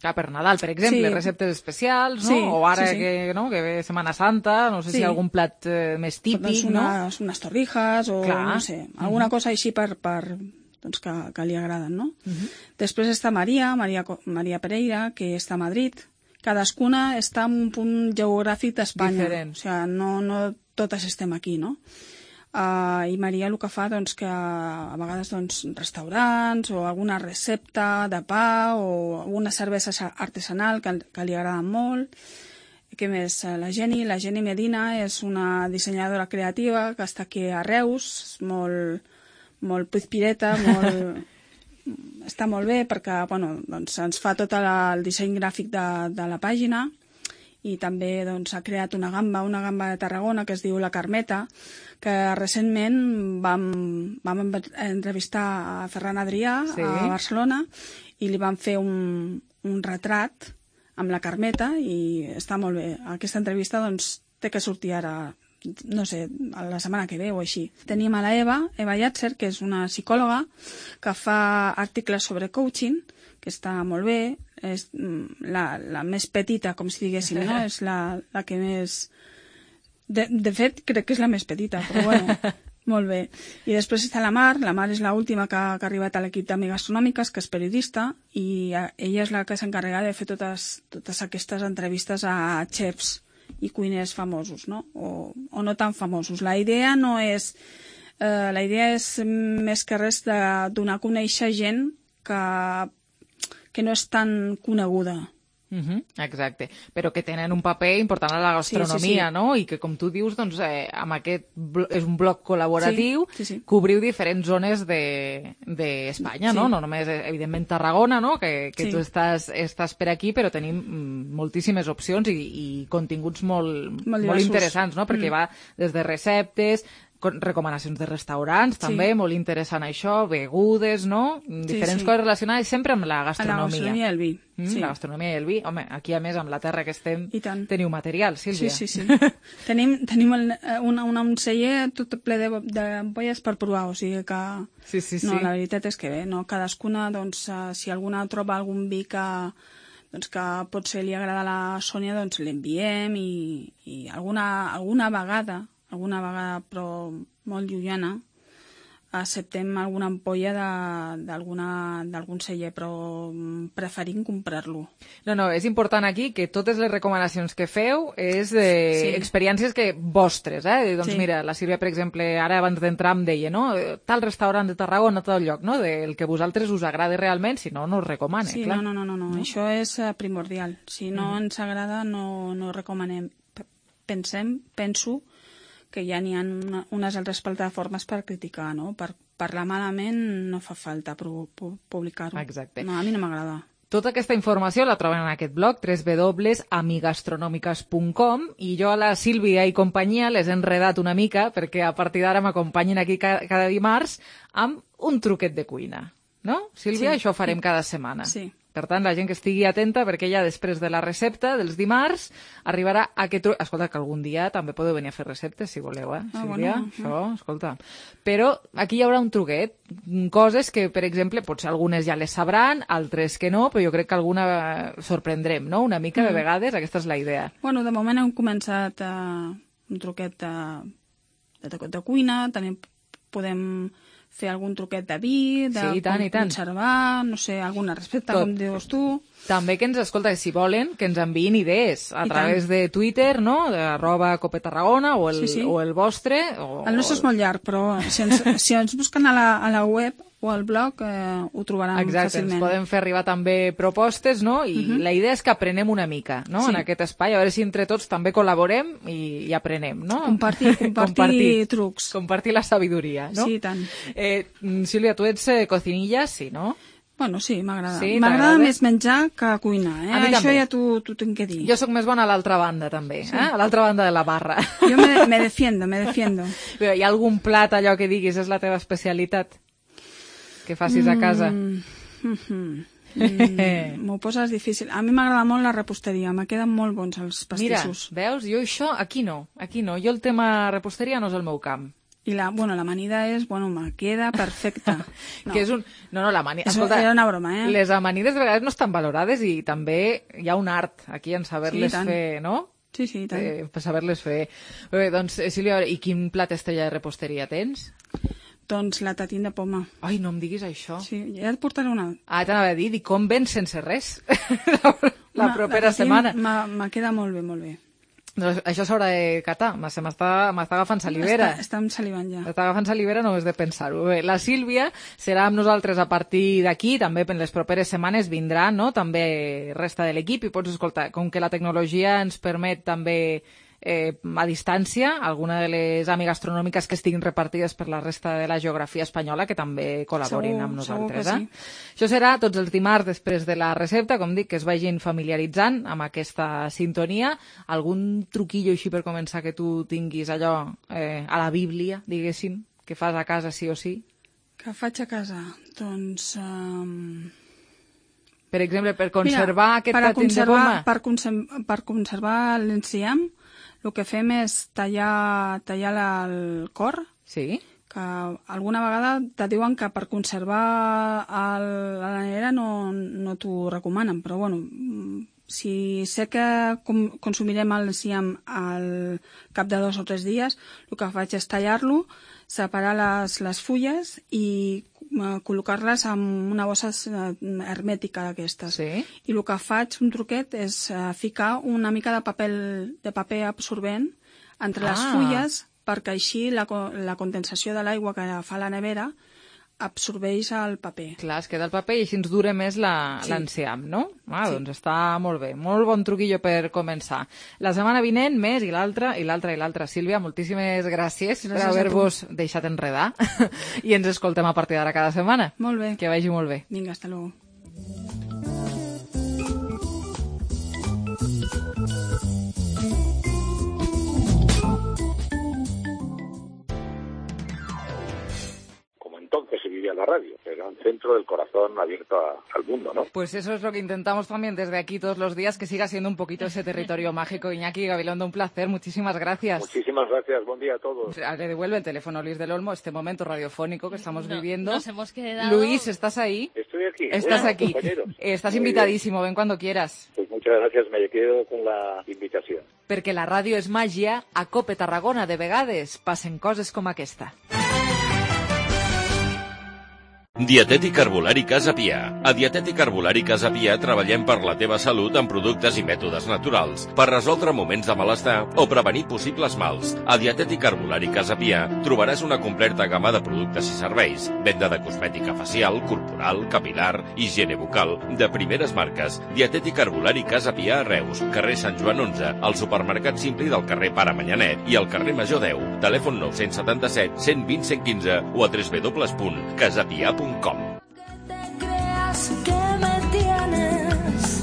Clar, per Nadal, per exemple, sí. receptes especials, no? Sí, o ara sí, sí. Que, no, que ve Setmana Santa, no sé sí. si hi ha algun plat eh, més típic, doncs unes, no? Unes torrijas o Clar. no sé, alguna uh -huh. cosa així per, per doncs que, que li agraden, no? Uh -huh. Després està Maria, Maria, Maria Pereira, que està a Madrid. Cadascuna està en un punt geogràfic d'Espanya. Diferent. O sigui, no, no totes estem aquí, no? Uh, i Maria el que fa doncs, que a vegades doncs, restaurants o alguna recepta de pa o alguna cervesa artesanal que, que li agraden molt. Què més? La Jenny, la Jenny Medina és una dissenyadora creativa que està aquí a Reus, molt, molt pizpireta, molt, està molt bé perquè bueno, doncs, ens fa tot el disseny gràfic de, de la pàgina i també doncs, ha creat una gamba, una gamba de Tarragona que es diu La Carmeta, que recentment vam, vam entrevistar a Ferran Adrià sí. a Barcelona i li vam fer un, un retrat amb la Carmeta i està molt bé. Aquesta entrevista doncs, té que sortir ara, no sé, la setmana que ve o així. Tenim a la Eva, Eva Yatzer, que és una psicòloga que fa articles sobre coaching, que està molt bé, és la, la més petita, com si diguéssim, no? És la, la que més... De, de fet, crec que és la més petita, però bueno, molt bé. I després està la Mar, la Mar és l'última que, que ha arribat a l'equip d'Amigastronòmiques, que és periodista, i ella és la que s'encarrega de fer totes, totes aquestes entrevistes a xefs i cuiners famosos, no? O, o no tan famosos. La idea no és... Eh, la idea és més que res de donar a conèixer gent que, que no és tan coneguda. Uh-huh, exacte, però que tenen un paper important a la gastronomia, sí, sí, sí. no? I que, com tu dius, doncs, eh, amb aquest és un bloc col·laboratiu, sí, sí, sí. cobriu diferents zones d'Espanya, de, de no? Sí. No només, evidentment, Tarragona, no? Que, que sí. tu estàs, estàs per aquí, però tenim moltíssimes opcions i, i continguts molt, molt, molt interessants, no? Perquè mm. va des de receptes, recomanacions de restaurants, sí. també, molt interessant això, begudes, no? Diferents sí, sí. coses relacionades sempre amb la gastronomia. La gastronomia i el vi. Mm, sí. La gastronomia i el vi. Home, aquí a més, amb la terra que estem, teniu material, Sílvia. Sí, sí, sí. tenim tenim el, una, una, un celler tot ple de, de ampolles per provar, o sigui que... Sí, sí, sí. No, la veritat és que bé, no? Cadascuna, doncs, si alguna troba algun vi que doncs que potser li agrada a la Sònia, doncs l'enviem i, i alguna, alguna vegada alguna vegada, però molt llunyana, acceptem alguna ampolla d'algun celler, però preferim comprar-lo. No, no, és important aquí que totes les recomanacions que feu és de sí. experiències que vostres, eh? Doncs sí. mira, la Sílvia, per exemple, ara abans d'entrar em deia, no? Tal restaurant de Tarragona, tal lloc, no? Del que vosaltres us agrada realment, si no, no us recomane, sí, clar. No, no, no, no, no, això és primordial. Si no mm. ens agrada, no, no recomanem. Pensem, penso, que ja n'hi ha una, unes altres plataformes per criticar, no? Per parlar malament no fa falta publicar-ho. Exacte. No, a mi no m'agrada. Tota aquesta informació la troben en aquest blog, w w w punt amigastronòmiques punt com, i jo a la Sílvia i companyia les he enredat una mica perquè a partir d'ara m'acompanyin aquí cada, cada dimarts amb un truquet de cuina. No, Sílvia? Sí. Això ho farem cada setmana. Sí. Per tant, la gent que estigui atenta, perquè ja després de la recepta dels dimarts arribarà aquest... Escolta, que algun dia també podeu venir a fer receptes, si voleu, eh, Ah, Sílvia? bueno, Això, escolta. Però aquí hi haurà un truquet. Coses que, per exemple, potser algunes ja les sabran, altres que no, però jo crec que alguna sorprendrem, no? Una mica, de Mm. vegades, aquesta és la idea. Bueno, de moment hem començat uh, un truquet de, de, de cuina, també podem fer algun truquet de vi, de Sí, i tant, i tant. conservar, no sé, alguna recepta, Tot. com dius tu. També que ens, escolta, si volen, que ens enviïn idees a I través tant. de Twitter, no?, de arroba copetarragona, o el, Sí, sí. o el vostre. O, El nostre és molt llarg, però si ens, si ens busquen a la, a la web o al blog eh, ho trobaran Exacte, fàcilment. ens poden fer arribar també propostes, no? I Mhm. la idea és que aprenem una mica, no?, Sí. en aquest espai, a veure si entre tots també col·laborem i, i aprenem, no? Compartir, compartir trucs. Compartir la sabidoria, no? Sí, i tant. Eh, Sílvia, tu ets eh, cocinilla, sí, no? Bueno, sí, m'agrada. Sí, m'agrada t'agrada? més menjar que cuinar, eh? A mi Això també. ja t'ho t'ho tinc que dir. Jo sóc més bona a l'altra banda, també, Sí. eh? A l'altra banda de la barra. Jo me, me defiendo, me defiendo. Però hi ha algun plat allò que diguis és la teva especialitat que facis a casa? Mm, mhm. Mm, M'ho poses difícil. A mi m'agrada molt la reposteria, me queden molt bons els pastissos. Mira, veus? Jo això, aquí no, aquí no. Jo el tema reposteria no és el meu camp. I la, bueno, l'amanida és, bueno, me queda perfecta. No. Que és un... No, no, l'amanida... És- era una broma, eh? Les amanides de vegades no estan valorades i també hi ha un art aquí en saber-les Sí, i tant. fer, no? Sí, sí, i tant. Eh, per saber-les fer. Bé, doncs, eh, Sílvia, a veure, i quin plat estrella de reposteria tens? Doncs la tatín de poma. Ai, no em diguis això. Sí, ja et portaré una. Ah, t'anava a dir, dic, com vens sense res? la, la Una- propera tatín setmana. me- Me queda molt bé, molt bé. Doncs això s'haurà de catar. Se m'està m'està agafant salivera. Està, està salivant ja. Està agafant salivera només de pensar-ho. Bé, la Sílvia serà amb nosaltres a partir d'aquí, també en les properes setmanes vindrà, no?, també resta de l'equip, i pots escoltar, com que la tecnologia ens permet també eh, a distància, alguna de les AMI gastronòmiques que estiguin repartides per la resta de la geografia espanyola, que també col·laborin Segur, amb nosaltres. segur Eh? que Això serà tots els dimarts després de la recepta, com dic, que es vagin familiaritzant amb aquesta sintonia. Algun truquillo així per començar que tu tinguis allò eh, a la Bíblia, diguéssim, que fas a casa sí o sí? Que faig a casa? Doncs... Um... Per exemple, per conservar Mira, aquest per a tatín de conservar, poma? per, conservar, per conservar l'enciam, el que fem és tallar, tallar la, el cor. Sí. Que alguna vegada te diuen que per conservar el, la nevera no, no t'ho recomanen, però bueno, si sé que com, consumirem l'enciam al cap de dos o tres dies, el que faig és tallar-lo, separar les, les fulles i uh, col·locar-les en una bossa uh, hermètica d'aquestes. Sí. I el que faig, un truquet, és uh, ficar una mica de paper, de paper absorbent entre les Ah. fulles perquè així la, co- la condensació de l'aigua que fa la nevera absorbeix el paper. Clar, es queda el paper i així ens dura més la- Sí. l'enciam, no? Ah, Sí. doncs està molt bé. Molt bon truquillo per començar. La setmana vinent, més, i l'altra, i l'altra, i l'altra. Sílvia, moltíssimes gràcies, Gràcies per a haver-vos deixat enredar i ens escoltem a partir d'ara cada setmana. Molt bé. Que vagi molt bé. Vinga, hasta luego. Como entonces se vivía la radio, era un centro del corazón abierto a- al mundo, ¿no? Pues eso es lo que intentamos también desde aquí todos los días, que siga siendo un poquito ese territorio mágico. Iñaki Gabilondo, un placer, muchísimas gracias. Muchísimas gracias, buen día a todos. Le devuelve el teléfono Luis del Olmo, este momento radiofónico que estamos No, viviendo. nos hemos quedado- Luis, ¿estás ahí? Estoy aquí. Estás Bueno, aquí. compañeros. Eh, Estás Muy bien. invitadísimo, ven cuando quieras. Pues muchas gracias, me quedo con la invitación. Perquè la ràdio és màgia, a Cope Tarragona de vegades passen coses com aquesta. Dietètic Herbolari Casa Pia. A Dietètic Herbolari Casa Pia treballem per la teva salut amb productes i mètodes naturals, per resoldre moments de malestar o prevenir possibles mals. A Dietètic Herbolari Casa Pia trobaràs una completa gamma de productes i serveis, venda de cosmètica facial, corporal, capilar, higiene bucal, de primeres marques. Dietètic Herbolari Casa Pia a Reus, carrer Sant Joan onze, al supermercat Simpli del carrer Pare Manyanet i al carrer Major deu. Telèfon nou set set, cent vint, cent quinze o a w w w punt casapia punt com. Creas que me tienes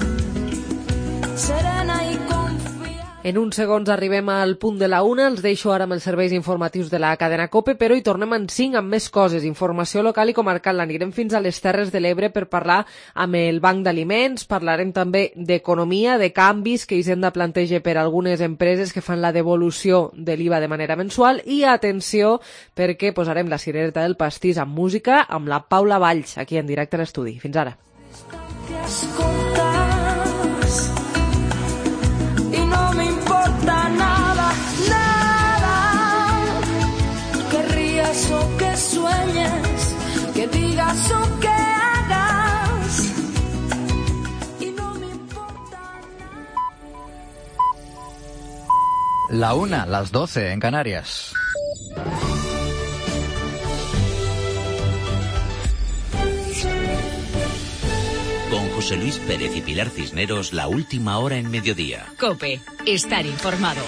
serena y confiada. En uns segons arribem al punt de la una, els deixo ara amb els serveis informatius de la cadena COPE, però hi tornem en cinc amb més coses, informació local i comarcal. Anirem fins a les Terres de l'Ebre per parlar amb el Banc d'Aliments, parlarem també d'economia, de canvis que Hisenda planteja per a algunes empreses que fan la devolució de l'I V A de manera mensual i atenció perquè posarem la cirereta del pastís amb música amb la Paula Valls, aquí en directe a l'estudi. Fins ara. O que sueñes, que digas o que hagas, y no me importa nada. La una, las doce en Canarias. Con José Luis Pérez y Pilar Cisneros, la última hora en mediodía. COPE, estar informado.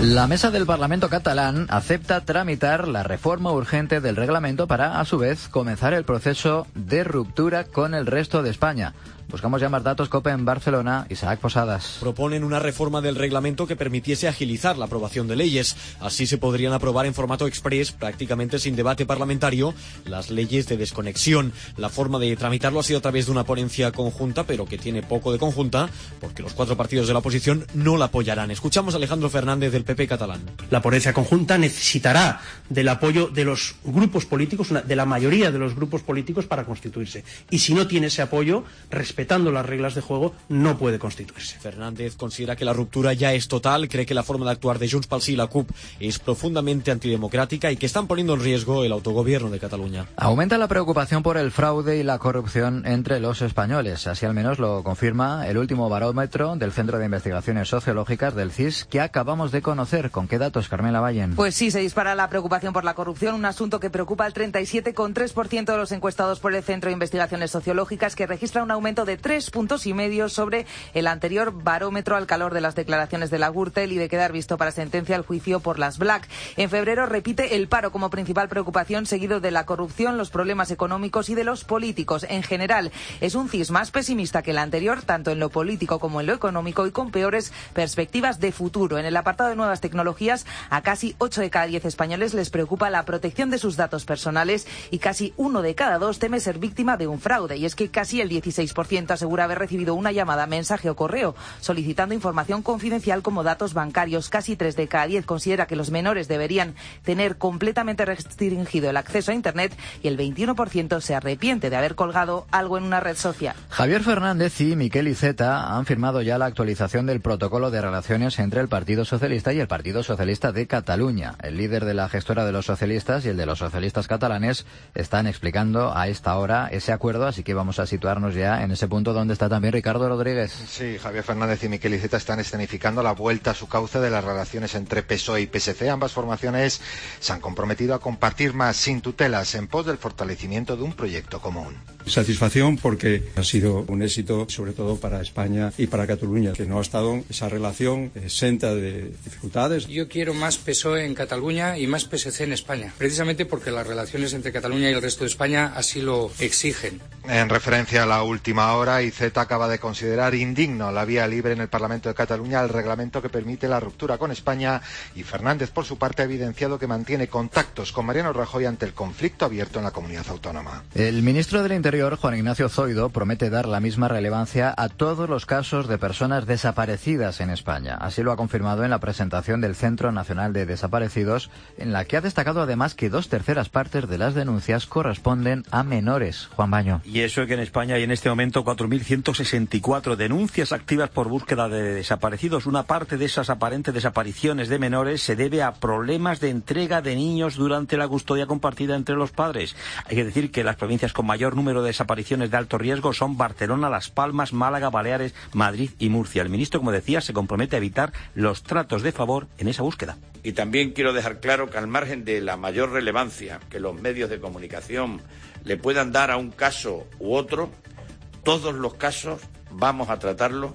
La mesa del Parlamento catalán acepta tramitar la reforma urgente del reglamento para, a su vez, comenzar el proceso de ruptura con el resto de España. Buscamos ya más datos. COPE en Barcelona, Isaac Posadas. Proponen una reforma del reglamento que permitiese agilizar la aprobación de leyes. Así se podrían aprobar en formato express, prácticamente sin debate parlamentario, las leyes de desconexión. La forma de tramitarlo ha sido a través de una ponencia conjunta, pero que tiene poco de conjunta, porque los cuatro partidos de la oposición no la apoyarán. Escuchamos a Alejandro Fernández del P P catalán. La ponencia conjunta necesitará del apoyo de los grupos políticos, de la mayoría de los grupos políticos para constituirse. Y si no tiene ese apoyo, respetando las reglas de juego, no puede constituirse. Fernández considera que la ruptura ya es total, cree que la forma de actuar de Junts pel Sí y la CUP es profundamente antidemocrática y que están poniendo en riesgo el autogobierno de Cataluña. Aumenta la preocupación por el fraude y la corrupción entre los españoles. Así al menos lo confirma el último barómetro del Centro de Investigaciones Sociológicas del C I S que acabamos de conocer. ¿Con qué datos, Carmela Vallen? Pues sí, se dispara la preocupación por la corrupción, un asunto que preocupa al treinta y siete coma tres por ciento de los encuestados por el Centro de Investigaciones Sociológicas, que registra un aumento de tres puntos y medio sobre el anterior barómetro al calor de las declaraciones de la Gürtel y de quedar visto para sentencia el juicio por las Black. En febrero repite el paro como principal preocupación, seguido de la corrupción, los problemas económicos y de los políticos. En general, es un C I S más pesimista que el anterior, tanto en lo político como en lo económico, y con peores perspectivas de futuro. En el apartado de nuevas tecnologías, a casi ocho de cada diez españoles les preocupa la protección de sus datos personales y casi uno de cada dos teme ser víctima de un fraude. Y es que casi el dieciséis por ciento asegura haber recibido una llamada, mensaje o correo solicitando información confidencial como datos bancarios. Casi tres de cada diez considera que los menores deberían tener completamente restringido el acceso a Internet y el veintiuno por ciento se arrepiente de haber colgado algo en una red social. Javier Fernández y Miquel Iceta han firmado ya la actualización del protocolo de relaciones entre el Partido Socialista y el Partido Socialista de Cataluña. El líder de la gestora de los socialistas y el de los socialistas catalanes están explicando a esta hora ese acuerdo, así que vamos a situarnos ya en ese punto donde está también Ricardo Rodríguez. Sí, Javier Fernández y Miquel Iceta están escenificando la vuelta a su cauce de las relaciones entre P S O E y P S C. Ambas formaciones se han comprometido a compartir más sin tutelas en pos del fortalecimiento de un proyecto común. Satisfacción porque ha sido un éxito, sobre todo para España y para Cataluña, que no ha estado esa relación exenta de dificultades. Yo quiero más P S O E en Cataluña y más P S C en España, precisamente porque las relaciones entre Cataluña y el resto de España así lo exigen. En referencia a la última hora, Iceta acaba de considerar indigno la vía libre en el Parlamento de Cataluña al reglamento que permite la ruptura con España, y Fernández, por su parte, ha evidenciado que mantiene contactos con Mariano Rajoy ante el conflicto abierto en la comunidad autónoma. El ministro del Interior, Juan Ignacio Zoido, promete dar la misma relevancia a todos los casos de personas desaparecidas en España. Así lo ha confirmado en la presentación del Centro Nacional de Desaparecidos, en la que ha destacado además que dos terceras partes de las denuncias corresponden a menores. Juan Baño. Y eso es que en España hay en este momento cuatro mil ciento sesenta y cuatro denuncias activas por búsqueda de desaparecidos. Una parte de esas aparentes desapariciones de menores se debe a problemas de entrega de niños durante la custodia compartida entre los padres. Hay que decir que las provincias con mayor número de desapariciones de alto riesgo son Barcelona, Las Palmas, Málaga, Baleares, Madrid y Murcia. El ministro, como decía, se compromete a evitar los tratos de favor en esa búsqueda. Y también quiero dejar claro que al margen de la mayor relevancia que los medios de comunicación le puedan dar a un caso u otro, todos los casos vamos a tratarlos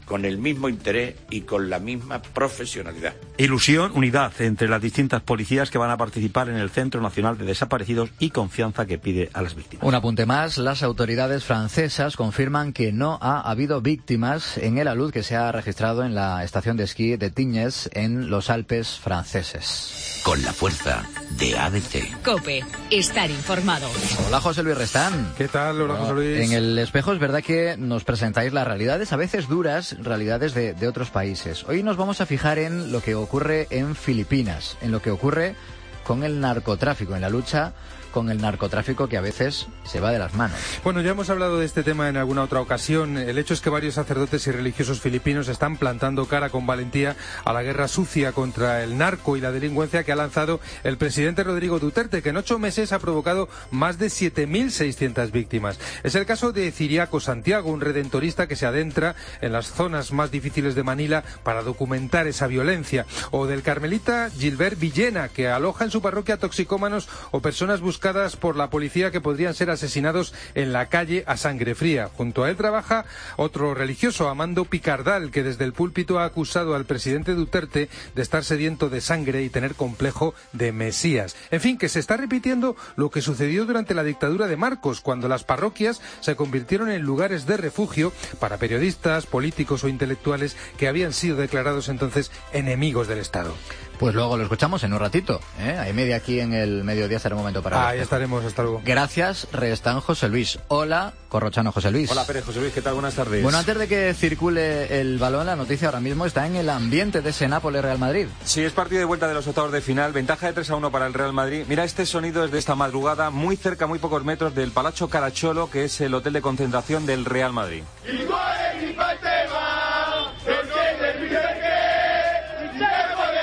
con el mismo interés y con la misma profesionalidad. Ilusión, unidad entre las distintas policías que van a participar en el Centro Nacional de Desaparecidos y confianza que pide a las víctimas. Un apunte más, las autoridades francesas confirman que no ha habido víctimas en el alud que se ha registrado en la estación de esquí de Tignes en los Alpes franceses. Con la fuerza de A D C. COPE, estar informado. Hola, José Luis Restán. ¿Qué tal? Hola, José Luis. En el espejo es verdad que nos presentáis las realidades, a veces duras, realidades de, de otros países. Hoy nos vamos a fijar en lo que ocurre en Filipinas, en lo que ocurre con el narcotráfico, en la lucha con el narcotráfico que a veces se va de las manos. Bueno, ya hemos hablado de este tema en alguna otra ocasión. El hecho es que varios sacerdotes y religiosos filipinos están plantando cara con valentía a la guerra sucia contra el narco y la delincuencia que ha lanzado el presidente Rodrigo Duterte, que en ocho meses ha provocado más de siete mil seiscientas víctimas. Es el caso de Ciriaco Santiago, un redentorista que se adentra en las zonas más difíciles de Manila para documentar esa violencia. O del carmelita Gilbert Villena, que aloja en su parroquia toxicómanos o personas buscadas por la policía que podrían ser asesinados en la calle a sangre fría. Junto a él trabaja otro religioso, Amando Picardal, que desde el púlpito ha acusado al presidente Duterte de estar sediento de sangre y tener complejo de Mesías. En fin, que se está repitiendo lo que sucedió durante la dictadura de Marcos, cuando las parroquias se convirtieron en lugares de refugio para periodistas, políticos o intelectuales que habían sido declarados entonces enemigos del Estado. Pues luego lo escuchamos en un ratito, ¿eh? Hay media aquí en el mediodía, será un momento para... Ah, ahí estaremos, hasta luego. Gracias, Restán José Luis. Hola, Corrochano José Luis. Hola, Pérez José Luis, ¿qué tal? Buenas tardes. Bueno, antes de que circule el balón, la noticia ahora mismo está en el ambiente de ese Nápoles-Real Madrid. Sí, es partido de vuelta de los octavos de final, ventaja de tres a uno para el Real Madrid. Mira, este sonido es de esta madrugada, muy cerca, muy pocos metros del Palazzo Caracciolo, que es el hotel de concentración del Real Madrid.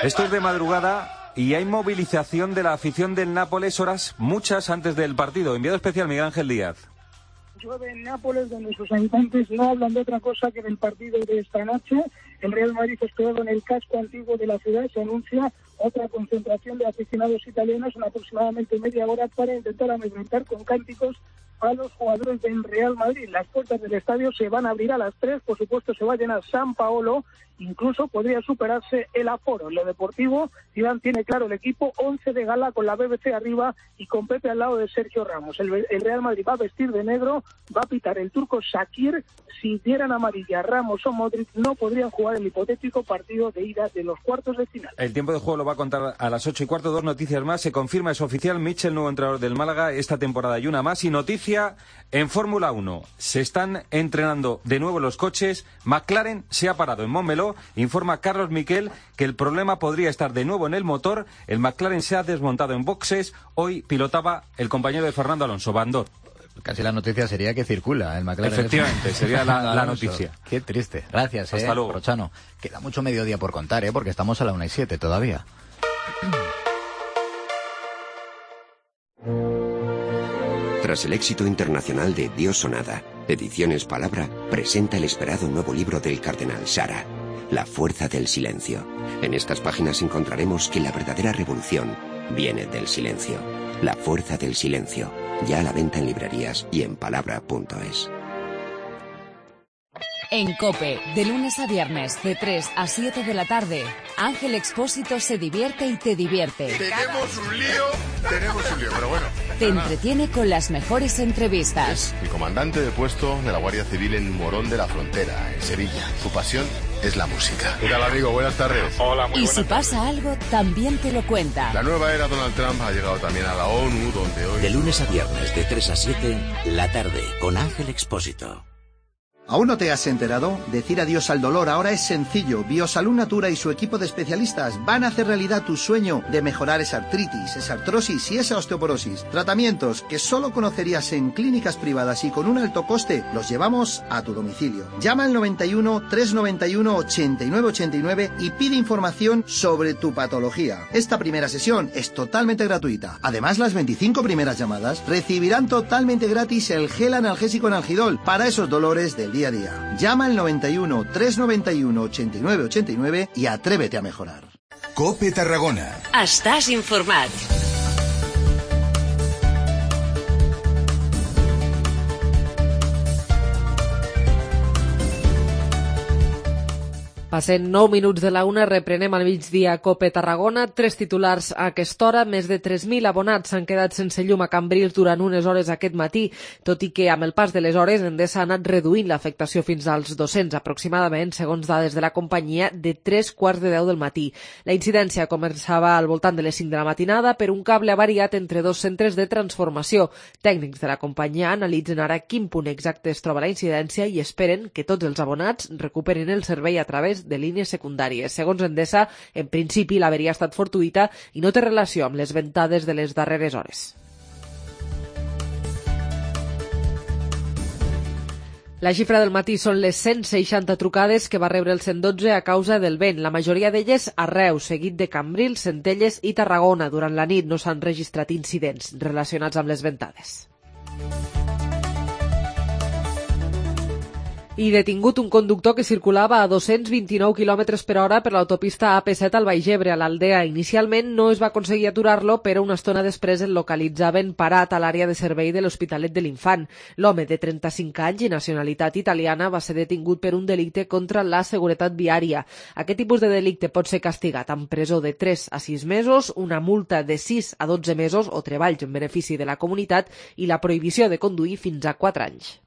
Esto es de madrugada y hay movilización de la afición del Nápoles horas muchas antes del partido. Enviado especial Miguel Ángel Díaz. Llueve en Nápoles, donde sus habitantes no hablan de otra cosa que del partido de esta noche. El Real Madrid hospedado en el casco antiguo de la ciudad. Se anuncia otra concentración de aficionados italianos en aproximadamente media hora para intentar amedrentar con cánticos a los jugadores del Real Madrid. Las puertas del estadio se van a abrir a las tres, por supuesto se va a llenar San Paolo, incluso podría superarse el aforo. En lo deportivo, Zidane tiene claro el equipo, once de gala con la B B C arriba y con Pepe al lado de Sergio Ramos. El, el Real Madrid va a vestir de negro, va a pitar el turco Shakir. Si dieran amarilla Ramos o Modric, no podrían jugar el hipotético partido de ida de los cuartos de final. El tiempo de juego lo va a contar a las ocho y cuarto. Dos noticias más. Se confirma, es oficial, Michel, nuevo entrenador del Málaga, esta temporada y una más. Y noticia en Fórmula uno. Se están entrenando de nuevo los coches. McLaren se ha parado en Montmeló. Informa Carlos Miquel que el problema podría estar de nuevo en el motor. El McLaren se ha desmontado en boxes. Hoy pilotaba el compañero de Fernando Alonso, Bandor. Casi la noticia sería que circula el McLaren. Efectivamente, sería la, la noticia. Qué triste. Gracias, Hasta eh, luego. Corrochano. Queda mucho mediodía por contar, ¿eh? Porque estamos a la una y siete todavía. Tras el éxito internacional de Dios o nada, Ediciones Palabra presenta el esperado nuevo libro del cardenal Sara, La fuerza del silencio. En estas páginas encontraremos que la verdadera revolución viene del silencio. La fuerza del silencio. Ya a la venta en librerías y en palabra punto es. En COPE, de lunes a viernes, de tres a siete de la tarde, Ángel Expósito se divierte y te divierte. Tenemos un lío, tenemos un lío, pero bueno. Te entretiene con las mejores entrevistas. Es el comandante de puesto de la Guardia Civil en Morón de la Frontera, en Sevilla. Su pasión es la música. ¿Qué tal, amigo? Buenas tardes. Hola, muy Y buenas si pasa tardes. algo, también te lo cuenta. La nueva era Donald Trump ha llegado también a la ONU, donde hoy... De lunes a viernes, de tres a siete, la tarde, con Ángel Expósito. ¿Aún no te has enterado? Decir adiós al dolor ahora es sencillo. Biosalud Natura y su equipo de especialistas van a hacer realidad tu sueño de mejorar esa artritis, esa artrosis y esa osteoporosis. Tratamientos que solo conocerías en clínicas privadas y con un alto coste, los llevamos a tu domicilio. Llama al noventa y uno, trescientos noventa y uno, ochenta y nueve ochenta y nueve y pide información sobre tu patología. Esta primera sesión es totalmente gratuita. Además, las veinticinco primeras llamadas recibirán totalmente gratis el gel analgésico Analgidol para esos dolores del día a día. Llama al noventa y uno, trescientos noventa y uno, ochenta y nueve ochenta y nueve y atrévete a mejorar. COPE Tarragona. Estàs informat. Passen nou minuts de la una, reprenem al migdia Cope Tarragona. Tres titulars a aquesta hora. Més de tres mil abonats s'han quedat sense llum a Cambrils durant unes hores aquest matí, tot i que amb el pas de les hores Endesa ha anat reduint l'afectació fins als dos-cents aproximadament, segons dades de la companyia, de tres quarts de deu del matí. La incidència començava al voltant de les cinc de la matinada per un cable avariat entre dos centres de transformació. Tècnics de la companyia analitzen ara quin punt exacte es troba la incidència i esperen que tots els abonats recuperen el servei a través de línies secundàries. Segons Endesa, en principi l'averia ha estat fortuïta i no té relació amb les ventades de les darreres hores. La xifra del matí són les cent seixanta trucades que va rebre el cent dotze a causa del vent, la majoria d'elles a Reus, seguit de Cambrils, Centelles i Tarragona. Durant la nit no s'han registrat incidents relacionats amb les ventades. I detingut un conductor que circulava a dos-cents vint-i-nou quilòmetres per hora per l'autopista A P set al Baix Ebre, a l'Aldea. Inicialment no es va aconseguir aturar-lo, però una estona després el localitzaven parat a l'àrea de servei de l'Hospitalet de l'Infant. L'home de trenta-cinc anys i nacionalitat italiana va ser detingut per un delicte contra la seguretat viària. Aquest tipus de delicte pot ser castigat amb presó de tres a sis mesos, una multa de sis a dotze mesos o treballs en benefici de la comunitat i la prohibició de conduir fins a quatre anys.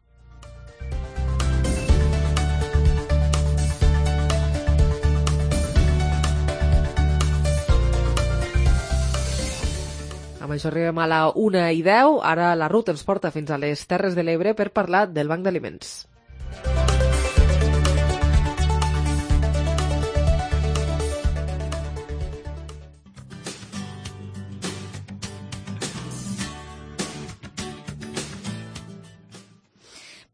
Amb això arribem a la una i deu. Ara la Ruth ens porta fins a les Terres de l'Ebre per parlar del Banc d'Aliments.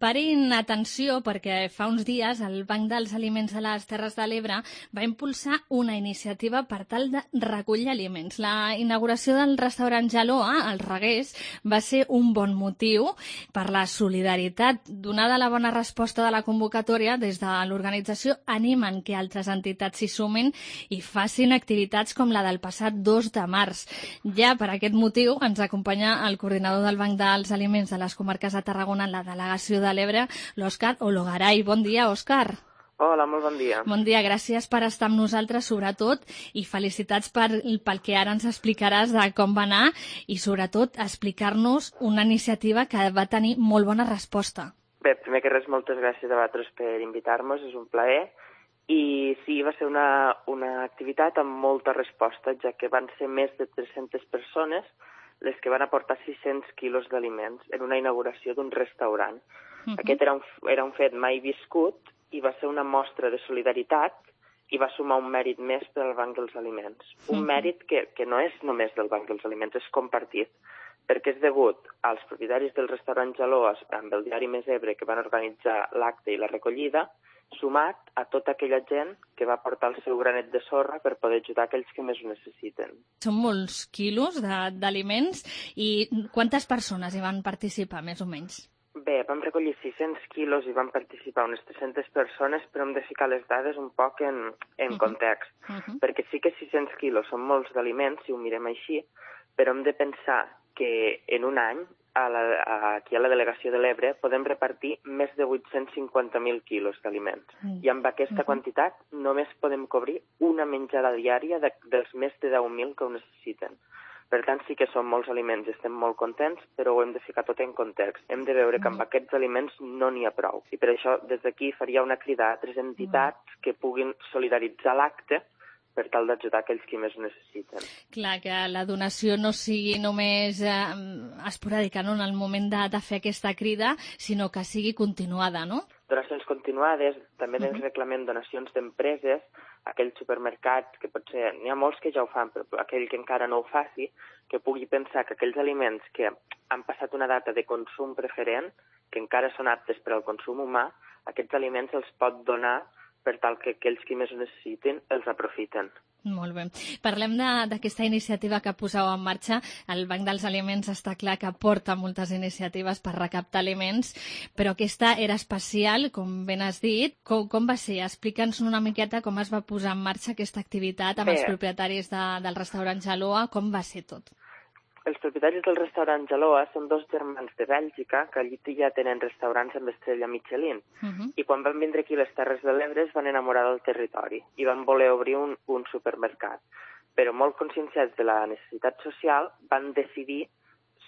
Parin atenció perquè fa uns dies el Banc dels Aliments de les Terres de l'Ebre va impulsar una iniciativa per tal de recollir aliments. La inauguració del restaurant Jaloa, al Reguers, va ser un bon motiu per la solidaritat. Donada la bona resposta de la convocatòria, des de l'organització animen que altres entitats s'hi sumin i facin activitats com la del passat dos de març. Ja per aquest motiu ens acompanya el coordinador del Banc dels Aliments de les comarques de Tarragona en la delegació de l'Ebre, l'Òscar Ologaray. Bon dia, Òscar. Hola, molt bon dia. Bon dia, gràcies per estar amb nosaltres, sobretot, i felicitats per, pel que ara ens explicaràs de com va anar i, sobretot, explicar-nos una iniciativa que va tenir molt bona resposta. Bé, primer que res, moltes gràcies a vosaltres per invitar-nos, és un plaer. I sí, va ser una, una activitat amb molta resposta, ja que van ser més de tres-centes persones les que van aportar sis-cents quilos d'aliments en una inauguració d'un restaurant. Uh-huh. Aquest era un, era un fet mai viscut i va ser una mostra de solidaritat i va sumar un mèrit més per al Banc dels Aliments. Un uh-huh. mèrit que, que no és només del Banc dels Aliments, és compartit, perquè és degut als propietaris del restaurant Jaloas amb el diari Més Ebre que van organitzar l'acte i la recollida, sumat a tota aquella gent que va portar el seu granet de sorra per poder ajudar aquells que més ho necessiten. Són molts quilos d'aliments i quantes persones hi van participar, més o menys? Bé, vam recollir sis-cents quilos i van participar unes tres-centes persones, però hem de ficar les dades un poc en, en uh-huh. context, uh-huh. perquè sí que sis-cents quilos són molts d'aliments, si ho mirem així, però hem de pensar que en un any A la, a, aquí a la delegació de l'Ebre podem repartir més de vuit-cents cinquanta mil quilos d'aliments. Mm. I amb aquesta uh-huh. quantitat només podem cobrir una menjada diària de, dels més de deu mil que ho necessiten. Per tant, sí que són molts aliments, estem molt contents, però ho hem de ficar tot en context. Hem de veure que amb aquests aliments no n'hi ha prou. I per això, des d'aquí, faria una crida a altres entitats que puguin solidaritzar l'acte per tal d'ajudar aquells que més ho necessiten. Clar, que la donació no sigui només eh, esporàdica, no?, en el moment de, de fer aquesta crida, sinó que sigui continuada, no? Donacions continuades, també uh-huh. ens reclamem donacions d'empreses, aquells supermercats, que potser n'hi ha molts que ja ho fan, però aquell que encara no ho faci, que pugui pensar que aquells aliments que han passat una data de consum preferent, que encara són aptes per al consum humà, aquests aliments els pot donar per tal que aquells que més ho necessiten els aprofiten. Molt bé. Parlem d'aquesta iniciativa que poseu en marxa. El Banc dels Aliments està clar que porta moltes iniciatives per recaptar aliments, però aquesta era especial, com ben has dit. Com, com va ser? Explica'ns una miqueta com es va posar en marxa aquesta activitat amb bé. Els propietaris de, del restaurant Jaloa. Com va ser tot? els propietaris del restaurant Jaloa són dos germans de Bèlgica que allí ja tenen restaurants amb estrella Michelin. Uh-huh. I quan van vindre aquí a les Terres de l'Ebre es van enamorar del territori i van voler obrir un, un supermercat. Però molt conscienciats de la necessitat social van decidir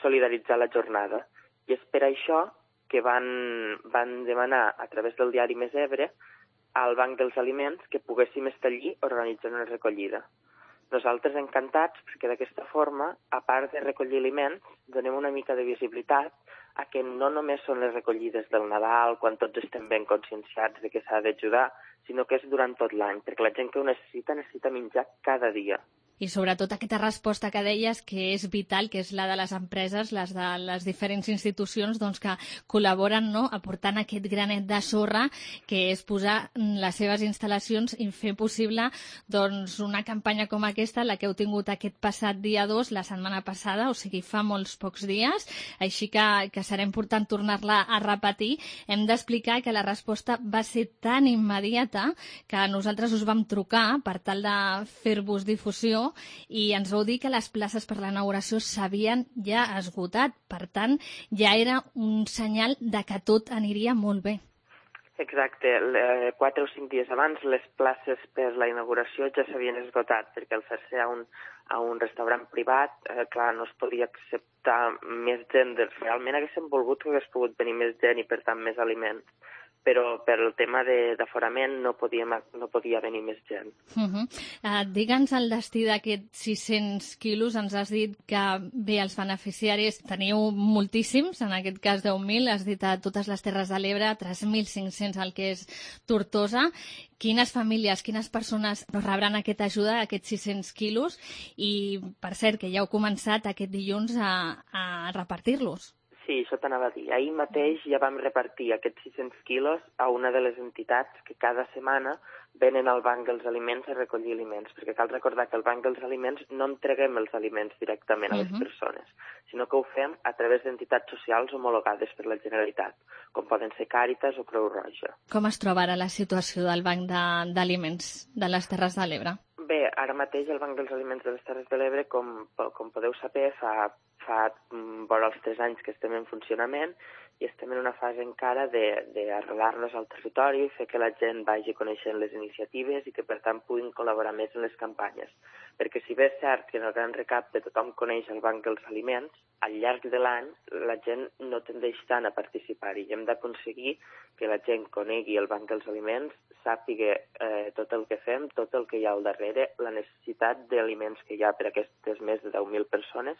solidaritzar la jornada. I és per això que van, van demanar a través del diari Més Ebre al Banc dels Aliments que poguéssim estar allí organitzant una recollida. Nosaltres encantats, perquè d'aquesta forma, a part de recollir aliments, donem una mica de visibilitat a que no només són les recollides del Nadal, quan tots estem ben conscienciats de que s'ha d'ajudar, sinó que és durant tot l'any, perquè la gent que ho necessita, necessita menjar cada dia. I sobretot aquesta resposta que deies, que és vital, que és la de les empreses, les de les diferents institucions doncs, que col·laboren, no?, aportant aquest granet de sorra, que és posar les seves instal·lacions i fer possible doncs, una campanya com aquesta, la que heu tingut aquest passat dia dos, la setmana passada, o sigui, fa molts pocs dies, així que, que serà important tornar-la a repetir. Hem d'explicar que la resposta va ser tan immediata que nosaltres us vam trucar per tal de fer-vos difusió i ens vau dir que les places per l'inauguració s'havien ja esgotat. Per tant, ja era un senyal de que tot aniria molt bé. Exacte. Quatre o cinc dies abans les places per la inauguració ja s'havien esgotat, perquè al fer-se a un, a un restaurant privat, eh, clar, no es podia acceptar més gent. Realment haguéssim volgut que hagués pogut venir més gent i, per tant, més aliments. Però per el tema d'aforament no, no podia venir més gent. Uh -huh. uh, Digue'ns el destí d'aquests sis-cents quilos. Ens has dit que, bé, els beneficiaris teniu moltíssims, en aquest cas deu mil, has dit a totes les Terres de l'Ebre, tres mil cinc-cents al que és Tortosa. Quines famílies, quines persones rebran aquesta ajuda, aquests sis-cents quilos? I, per cert, que ja heu començat aquest dilluns a, a repartir-los. Sí, això t'anava a dir. Ahir mateix ja vam repartir aquests sis-cents quilos a una de les entitats que cada setmana venen al Banc dels Aliments a recollir aliments, perquè cal recordar que al Banc dels Aliments no entreguem els aliments directament a les uh-huh. persones, sinó que ho fem a través d'entitats socials homologades per la Generalitat, com poden ser Càritas o Creu Roja. Com es troba ara la situació del Banc d'Aliments de, de les Terres de l'Ebre? Bé, ara mateix el Banc dels Aliments de les Terres de l'Ebre, com, com podeu saber, fa, fa vora els tres anys que estem en funcionament i estem en una fase encara d'arrelar-nos al territori, fer que la gent vagi coneixent les iniciatives i que, per tant, puguin col·laborar més en les campanyes. Perquè si bé és cert que en el Gran Recapte tothom coneix el Banc dels Aliments, al llarg de l'any la gent no tendeix tant a participar-hi i hem d'aconseguir que la gent conegui el Banc dels Aliments, sàpiga eh, tot el que fem, tot el que hi ha al darrere, la necessitat d'aliments que hi ha per a aquestes més de deu mil persones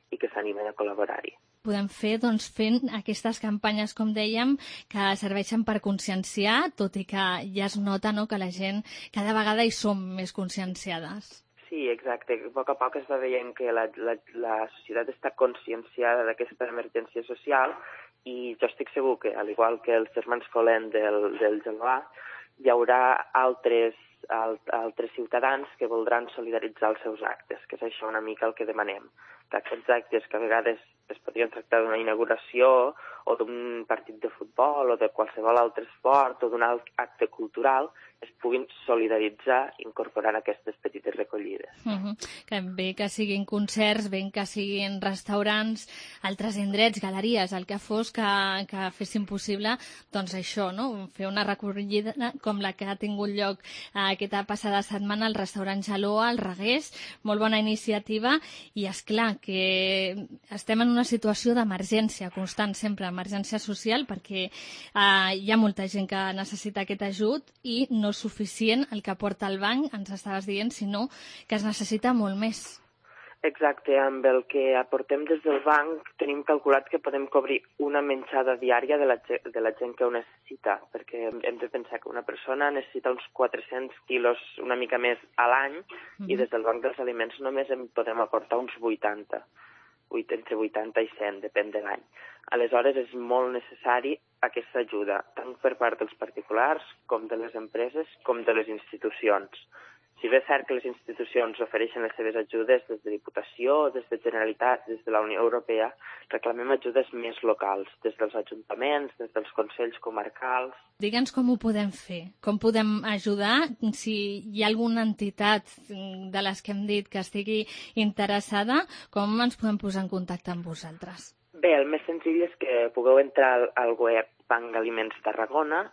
i que s'animen a col·laborar-hi. Podem fer, doncs, fent aquestes campanyes, com dèiem, que serveixen per conscienciar, tot i que ja es nota, no?, que la gent cada vegada hi som més conscienciades. Sí, exacte. A poc a poc es va veient que la, la, la societat està conscienciada d'aquesta emergència social i jo estic segur que, al igual que els germans Colén del, del Geloà, hi haurà altres, alt, altres ciutadans que voldran solidaritzar els seus actes, que és això una mica el que demanem. Que aquests actes que a vegades es podrien tractar d'una inauguració o d'un partit de futbol o de qualsevol altre esport o d'un alt acte cultural es puguin solidaritzar incorporant aquestes petites recollides. Uh-huh. Que bé que siguin concerts, bé que siguin restaurants, altres indrets, galeries, el que fos que, que fessin possible, doncs això, no?, fer una recollida com la que ha tingut lloc eh, aquesta passada setmana al restaurant Jaloa, al Regués, molt bona iniciativa i, és clar que estem en una situació d'emergència constant, sempre emergència social, perquè eh, hi ha molta gent que necessita aquest ajut i no és suficient el que aporta el banc, ens estaves dient, sinó que es necessita molt més. Exacte, amb el que aportem des del banc tenim calculat que podem cobrir una menjada diària de la, de la gent que ho necessita, perquè hem de pensar que una persona necessita uns quatre-cents quilos, una mica més a l'any, mm-hmm. i des del Banc dels Aliments només en podem aportar uns vuitanta, entre vuitanta i cent, depèn de l'any. Aleshores és molt necessari aquesta ajuda, tant per part dels particulars com de les empreses com de les institucions. Si bé és cert que les institucions ofereixen les seves ajudes des de Diputació, des de Generalitat, des de la Unió Europea, reclamem ajudes més locals, des dels ajuntaments, des dels consells comarcals. Digue'ns com ho podem fer, com podem ajudar, si hi ha alguna entitat de les que hem dit que estigui interessada, com ens podem posar en contacte amb vosaltres? Bé, el més senzill és que pugueu entrar al web Banc Aliments Tarragona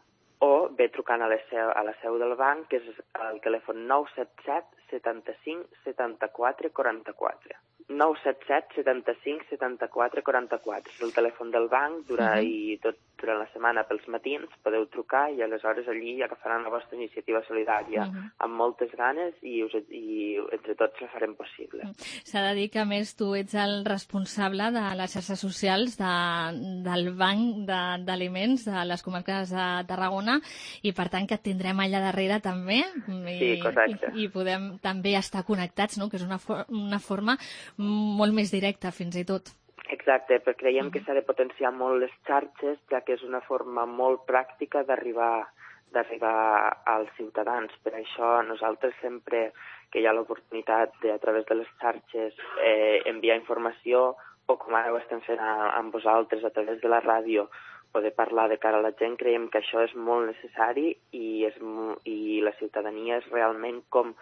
o bé trucant a la seu, a la seu del banc, que és el telèfon nou set set setanta-cinc setanta-quatre quaranta-quatre. nou set set setanta-cinc setanta-quatre quaranta-quatre. És el telèfon del banc, durant, uh-huh. i tot durant la setmana pels matins podeu trucar i aleshores allí agafaran la vostra iniciativa solidària uh-huh. amb moltes ganes i, us, i entre tots la farem possible. S'ha de dir que, a més, tu ets el responsable de les xarxes socials de, del Banc d'Aliments de, de les comarques de Tarragona i, per tant, que et tindrem allà darrere també i, sí, correcte. i, i podem també estar connectats, no? Que és una, for una forma molt més directa, fins i tot. Exacte, però creiem que s'ha de potenciar molt les xarxes, ja que és una forma molt pràctica d'arribar d'arribar als ciutadans. Per això nosaltres sempre que hi ha l'oportunitat de, a través de les xarxes, eh, enviar informació, o com ara ho estem fent a, amb vosaltres a través de la ràdio, poder parlar de cara a la gent, creiem que això és molt necessari i, és, i la ciutadania és realment com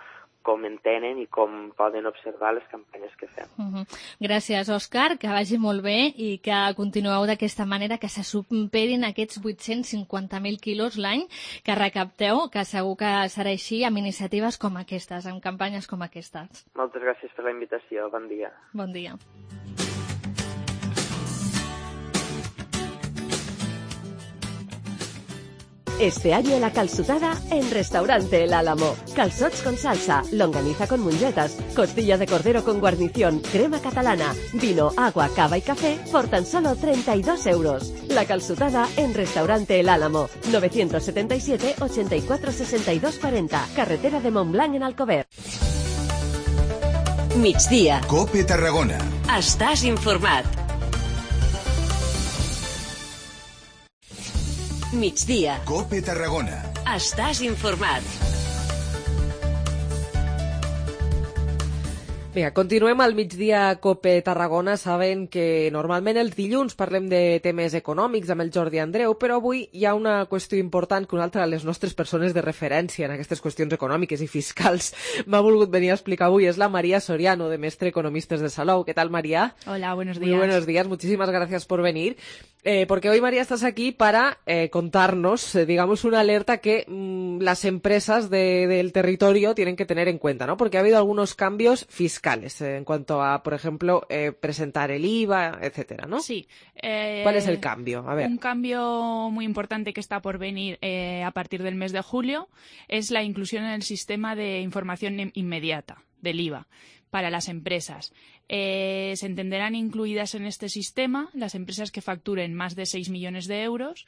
com entenen i com poden observar les campanyes que fem. Uh-huh. Gràcies, Òscar, que vagi molt bé i que continueu d'aquesta manera, que se superin aquests vuit-cents cinquanta mil quilos l'any que recapteu, que segur que serà així amb iniciatives com aquestes, amb campanyes com aquestes. Moltes gràcies per la invitació. Bon dia. Bon dia. Este año la calzutada en Restaurante El Álamo. Calzots con salsa, longaniza con mungetas, costilla de cordero con guarnición, crema catalana, vino, agua, cava y café por tan solo treinta y dos euros. La calzutada en Restaurante El Álamo. novecientos setenta y siete, ochenta y cuatro, sesenta y dos cuarenta. Carretera de Montblanc en Alcover. Migdia. Cope Tarragona. Estàs informat. Migdia. Cope Tarragona. Estàs informat. Vinga, continuem al migdia Cope Tarragona. Saben que normalment els dilluns parlem de temes econòmics amb el Jordi Andreu, però avui hi ha una qüestió important que una altra de les nostres persones de referència en aquestes qüestions econòmiques i fiscals m'ha volgut venir a explicar avui. És la María Soriano, de Mestre Economistes de Salou. ¿Qué tal, María? Hola, buenos días. Muy buenos días, muchísimas gracias por venir. Eh, porque hoy, María, estás aquí para eh, contarnos, eh, digamos, una alerta que mmm, las empresas de, del territorio tienen que tener en cuenta, ¿no? Porque ha habido algunos cambios fiscales eh, en cuanto a, por ejemplo, eh, presentar el I V A, etcétera, ¿no? Sí. Eh, ¿Cuál es el cambio? A ver. Un cambio muy importante que está por venir eh, a partir del mes de julio es la inclusión en el sistema de información inmediata del I V A para las empresas. Eh, se entenderán incluidas en este sistema las empresas que facturen más de seis millones de euros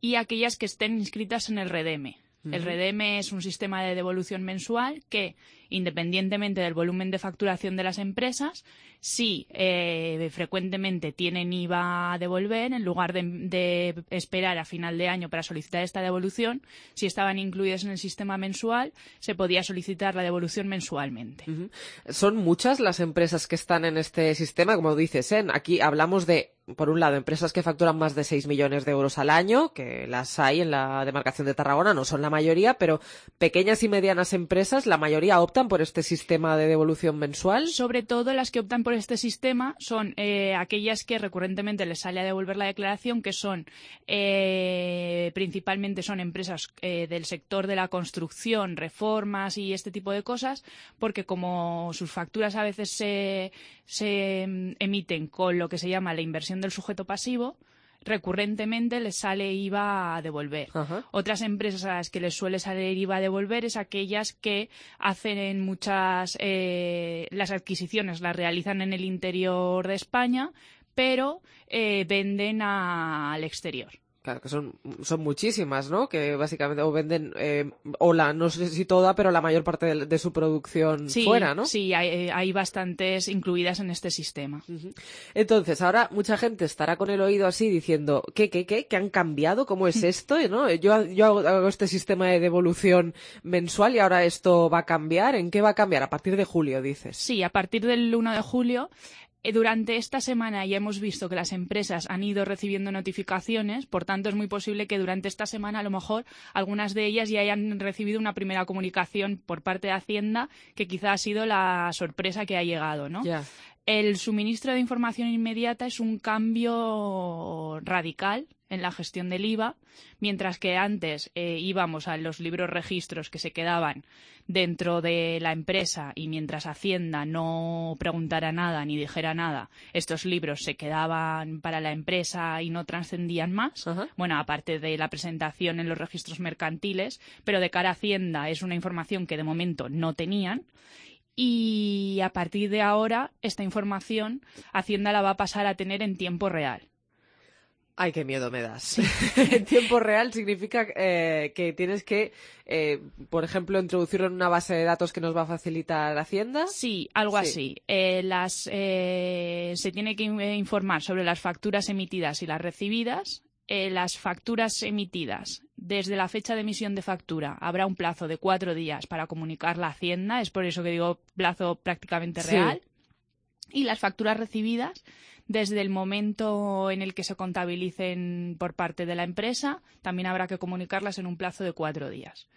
y aquellas que estén inscritas en el REDEME. Uh-huh. El REDEME es un sistema de devolución mensual que, independientemente del volumen de facturación de las empresas, si eh, frecuentemente tienen I V A a devolver, en lugar de, de esperar a final de año para solicitar esta devolución, si estaban incluidas en el sistema mensual, se podía solicitar la devolución mensualmente. Uh-huh. Son muchas las empresas que están en este sistema, como dices, ¿eh? Aquí hablamos de, por un lado, empresas que facturan más de seis millones de euros al año, que las hay en la demarcación de Tarragona, no son la mayoría, pero pequeñas y medianas empresas, la mayoría optan por este sistema de devolución mensual. Sobre todo las que optan por este sistema son eh, aquellas que recurrentemente les sale a devolver la declaración, que son eh, principalmente son empresas eh, del sector de la construcción, reformas y este tipo de cosas, porque como sus facturas a veces se, se emiten con lo que se llama la inversión del sujeto pasivo, recurrentemente les sale I V A a devolver. Uh-huh. Otras empresas a las que les suele salir I V A a devolver es aquellas que hacen muchas, eh, las adquisiciones las realizan en el interior de España, pero eh, venden a, al exterior. Claro, que son, son muchísimas, ¿no? Que básicamente o venden, eh, o la, no sé si toda, pero la mayor parte de, de su producción sí, fuera, ¿no? Sí, hay, hay bastantes incluidas en este sistema. Uh-huh. Entonces, ahora mucha gente estará con el oído así diciendo, ¿qué, qué, qué? ¿Qué han cambiado? ¿Cómo es esto? ¿No? Yo, yo hago, hago este sistema de devolución mensual y ahora esto va a cambiar. ¿En qué va a cambiar? A partir de julio, dices. Sí, a partir del uno de julio. Durante esta semana ya hemos visto que las empresas han ido recibiendo notificaciones, por tanto es muy posible que durante esta semana a lo mejor algunas de ellas ya hayan recibido una primera comunicación por parte de Hacienda que quizá ha sido la sorpresa que ha llegado, ¿no? Yeah. El suministro de información inmediata es un cambio radical en la gestión del I V A, mientras que antes eh, íbamos a los libros registros que se quedaban dentro de la empresa y mientras Hacienda no preguntara nada ni dijera nada, estos libros se quedaban para la empresa y no trascendían más. Uh-huh. Bueno, aparte de la presentación en los registros mercantiles, pero de cara a Hacienda es una información que de momento no tenían. Y a partir de ahora, esta información Hacienda la va a pasar a tener en tiempo real. Ay, qué miedo me das. En tiempo real significa eh, que tienes que, eh, por ejemplo, introducirlo en una base de datos que nos va a facilitar Hacienda. Sí, algo sí. así. Eh, las, eh, se tiene que informar sobre las facturas emitidas y las recibidas. Eh, las facturas emitidas desde la fecha de emisión de factura habrá un plazo de cuatro días para comunicarla a Hacienda, es por eso que digo plazo prácticamente real. Sí. Y las facturas recibidas desde el momento en el que se contabilicen por parte de la empresa, también habrá que comunicarlas en un plazo de cuatro días.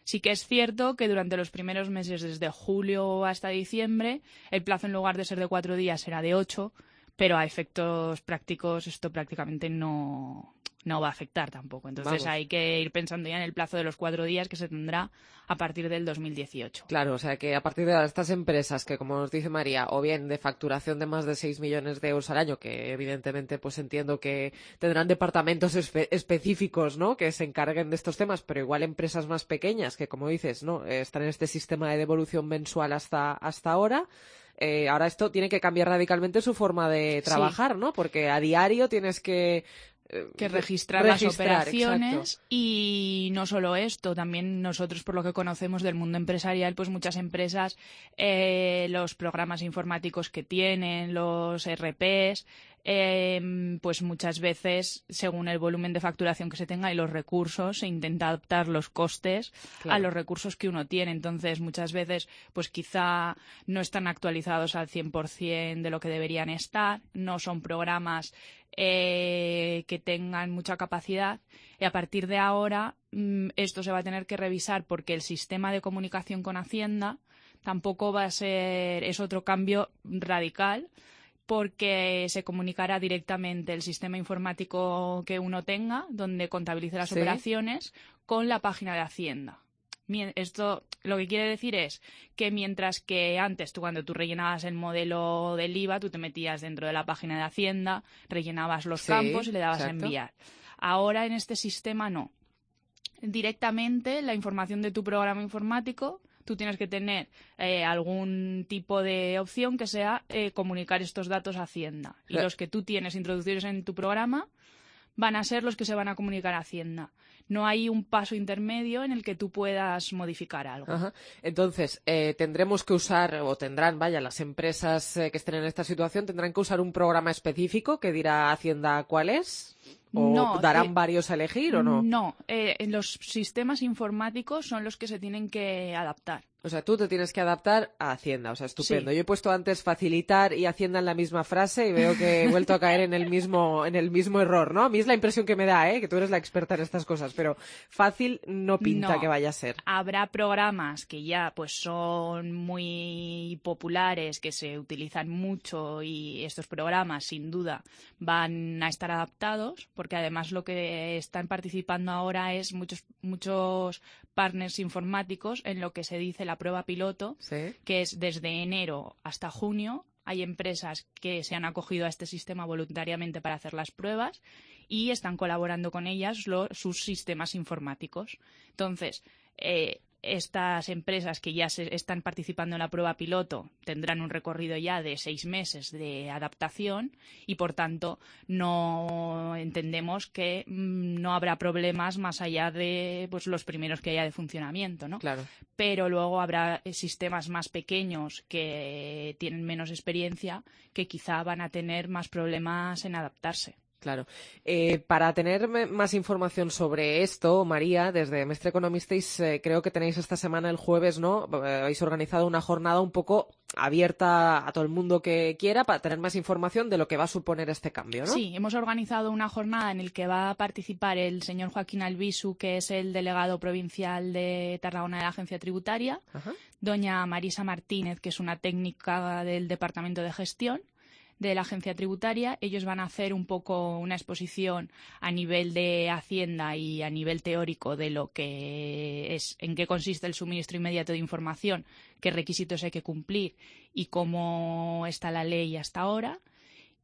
Sí que es cierto que durante los primeros meses, desde julio hasta diciembre, el plazo en lugar de ser de cuatro días será de ocho, pero a efectos prácticos esto prácticamente no, no va a afectar tampoco. Entonces Vamos. hay que ir pensando ya en el plazo de los cuatro días que se tendrá a partir del dos mil dieciocho. Claro, o sea que a partir de estas empresas que, como nos dice María, o bien de facturación de más de seis millones de euros al año, que evidentemente pues entiendo que tendrán departamentos espe- específicos, ¿no?, que se encarguen de estos temas, pero igual empresas más pequeñas que, como dices, no eh, están en este sistema de devolución mensual hasta, hasta ahora. Eh, ahora esto tiene que cambiar radicalmente su forma de trabajar, sí. ¿no? Porque a diario tienes que... Eh, que registrar, registrar las operaciones. Exacto. Y no solo esto, también nosotros, por lo que conocemos del mundo empresarial, pues muchas empresas, eh, los programas informáticos que tienen, los R Ps, eh, pues muchas veces, según el volumen de facturación que se tenga y los recursos, se intenta adaptar los costes claro. a los recursos que uno tiene. Entonces, muchas veces, pues quizá no están actualizados al cien por ciento de lo que deberían estar, no son programas eh, que tengan mucha capacidad, y a partir de ahora mmm, esto se va a tener que revisar porque el sistema de comunicación con Hacienda tampoco va a ser, es otro cambio radical, porque se comunicará directamente el sistema informático que uno tenga, donde contabilice las ¿Sí? operaciones, con la página de Hacienda. Esto lo que quiere decir es que mientras que antes tú cuando tú rellenabas el modelo del I V A, tú te metías dentro de la página de Hacienda, rellenabas los sí, campos y le dabas exacto. a enviar. Ahora en este sistema no. Directamente la información de tu programa informático, tú tienes que tener eh, algún tipo de opción que sea eh, comunicar estos datos a Hacienda. Y los que tú tienes introducidos en tu programa van a ser los que se van a comunicar a Hacienda. No hay un paso intermedio en el que tú puedas modificar algo. Ajá. Entonces, eh, tendremos que usar, o tendrán, vaya, las empresas eh, que estén en esta situación, tendrán que usar un programa específico que dirá Hacienda cuál es. ¿O no, darán eh, varios a elegir o no? No, eh, los sistemas informáticos son los que se tienen que adaptar. O sea, tú te tienes que adaptar a Hacienda, o sea, estupendo. Sí. Yo he puesto antes facilitar y Hacienda en la misma frase y veo que he vuelto a caer en el mismo en el mismo error, ¿no? A mí es la impresión que me da, ¿eh? Que tú eres la experta en estas cosas, pero fácil no pinta no. que vaya a ser. Habrá programas que ya pues son muy populares, que se utilizan mucho y estos programas sin duda van a estar adaptados, porque además lo que están participando ahora es muchos muchos partners informáticos en lo que se dice la prueba piloto, ¿Sí? que es desde enero hasta junio. Hay empresas que se han acogido a este sistema voluntariamente para hacer las pruebas y están colaborando con ellas los, sus sistemas informáticos. Entonces, eh, estas empresas que ya se están participando en la prueba piloto tendrán un recorrido ya de seis meses de adaptación y, por tanto, no entendemos que mmm, no habrá problemas más allá de pues, los primeros que haya de funcionamiento, ¿no? Claro. Pero luego habrá sistemas más pequeños que tienen menos experiencia que quizá van a tener más problemas en adaptarse. Claro. Eh, para tener más información sobre esto, María, desde Mestre Economisteis, eh, creo que tenéis esta semana, el jueves, ¿no? Eh, habéis organizado una jornada un poco abierta a todo el mundo que quiera para tener más información de lo que va a suponer este cambio, ¿no? Sí, hemos organizado una jornada en la que va a participar el señor Joaquín Albisu, que es el delegado provincial de Tarragona de la Agencia Tributaria, Ajá. doña Marisa Martínez, que es una técnica del Departamento de Gestión de la Agencia Tributaria. Ellos van a hacer un poco una exposición a nivel de Hacienda y a nivel teórico de lo que es, en qué consiste el suministro inmediato de información, qué requisitos hay que cumplir y cómo está la ley hasta ahora.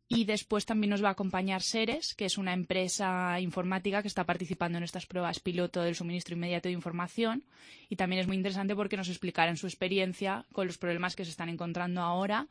Y después también nos va a acompañar Seres, que es una empresa informática que está participando en estas pruebas piloto del suministro inmediato de información. Y también es muy interesante porque nos explicarán su experiencia con los problemas que se están encontrando ahora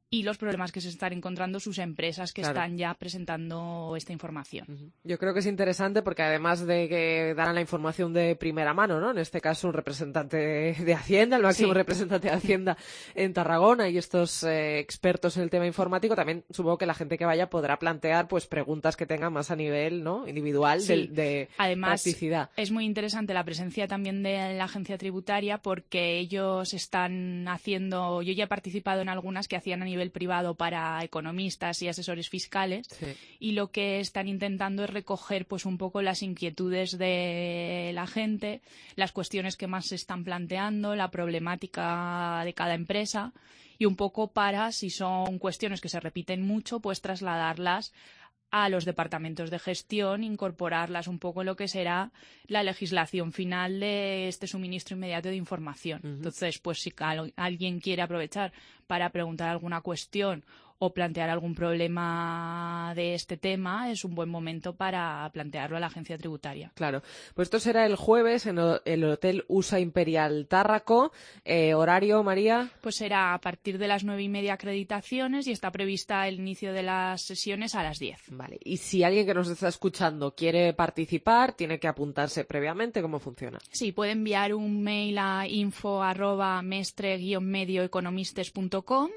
y los problemas que se están encontrando sus empresas que claro. están ya presentando esta información. Uh-huh. Yo creo que es interesante porque además de que darán la información de primera mano, ¿no? En este caso un representante de, de Hacienda, el máximo sí. representante de Hacienda en Tarragona y estos eh, expertos en el tema informático, también supongo que la gente que vaya podrá plantear pues preguntas que tengan más a nivel, ¿no? individual sí. de, de Además, practicidad. Es muy interesante la presencia también de la agencia tributaria porque ellos están haciendo, yo ya he participado en algunas que hacían a nivel privado para economistas y asesores fiscales sí. y lo que están intentando es recoger pues un poco las inquietudes de la gente, las cuestiones que más se están planteando, la problemática de cada empresa y un poco para, si son cuestiones que se repiten mucho, pues trasladarlas a los departamentos de gestión, incorporarlas un poco en lo que será la legislación final de este suministro inmediato de información. Uh-huh. Entonces, pues si alguien quiere aprovechar para preguntar alguna cuestión o plantear algún problema de este tema, es un buen momento para plantearlo a la agencia tributaria. Claro. Pues esto será el jueves en el Hotel U S A Imperial Tárraco. Eh, ¿Horario, María? Pues será a partir de las nueve y media acreditaciones y está prevista el inicio de las sesiones a las diez. Vale. Y si alguien que nos está escuchando quiere participar, tiene que apuntarse previamente. ¿Cómo funciona? Sí, puede enviar un mail a info arroba mestre guion medio economistes punto com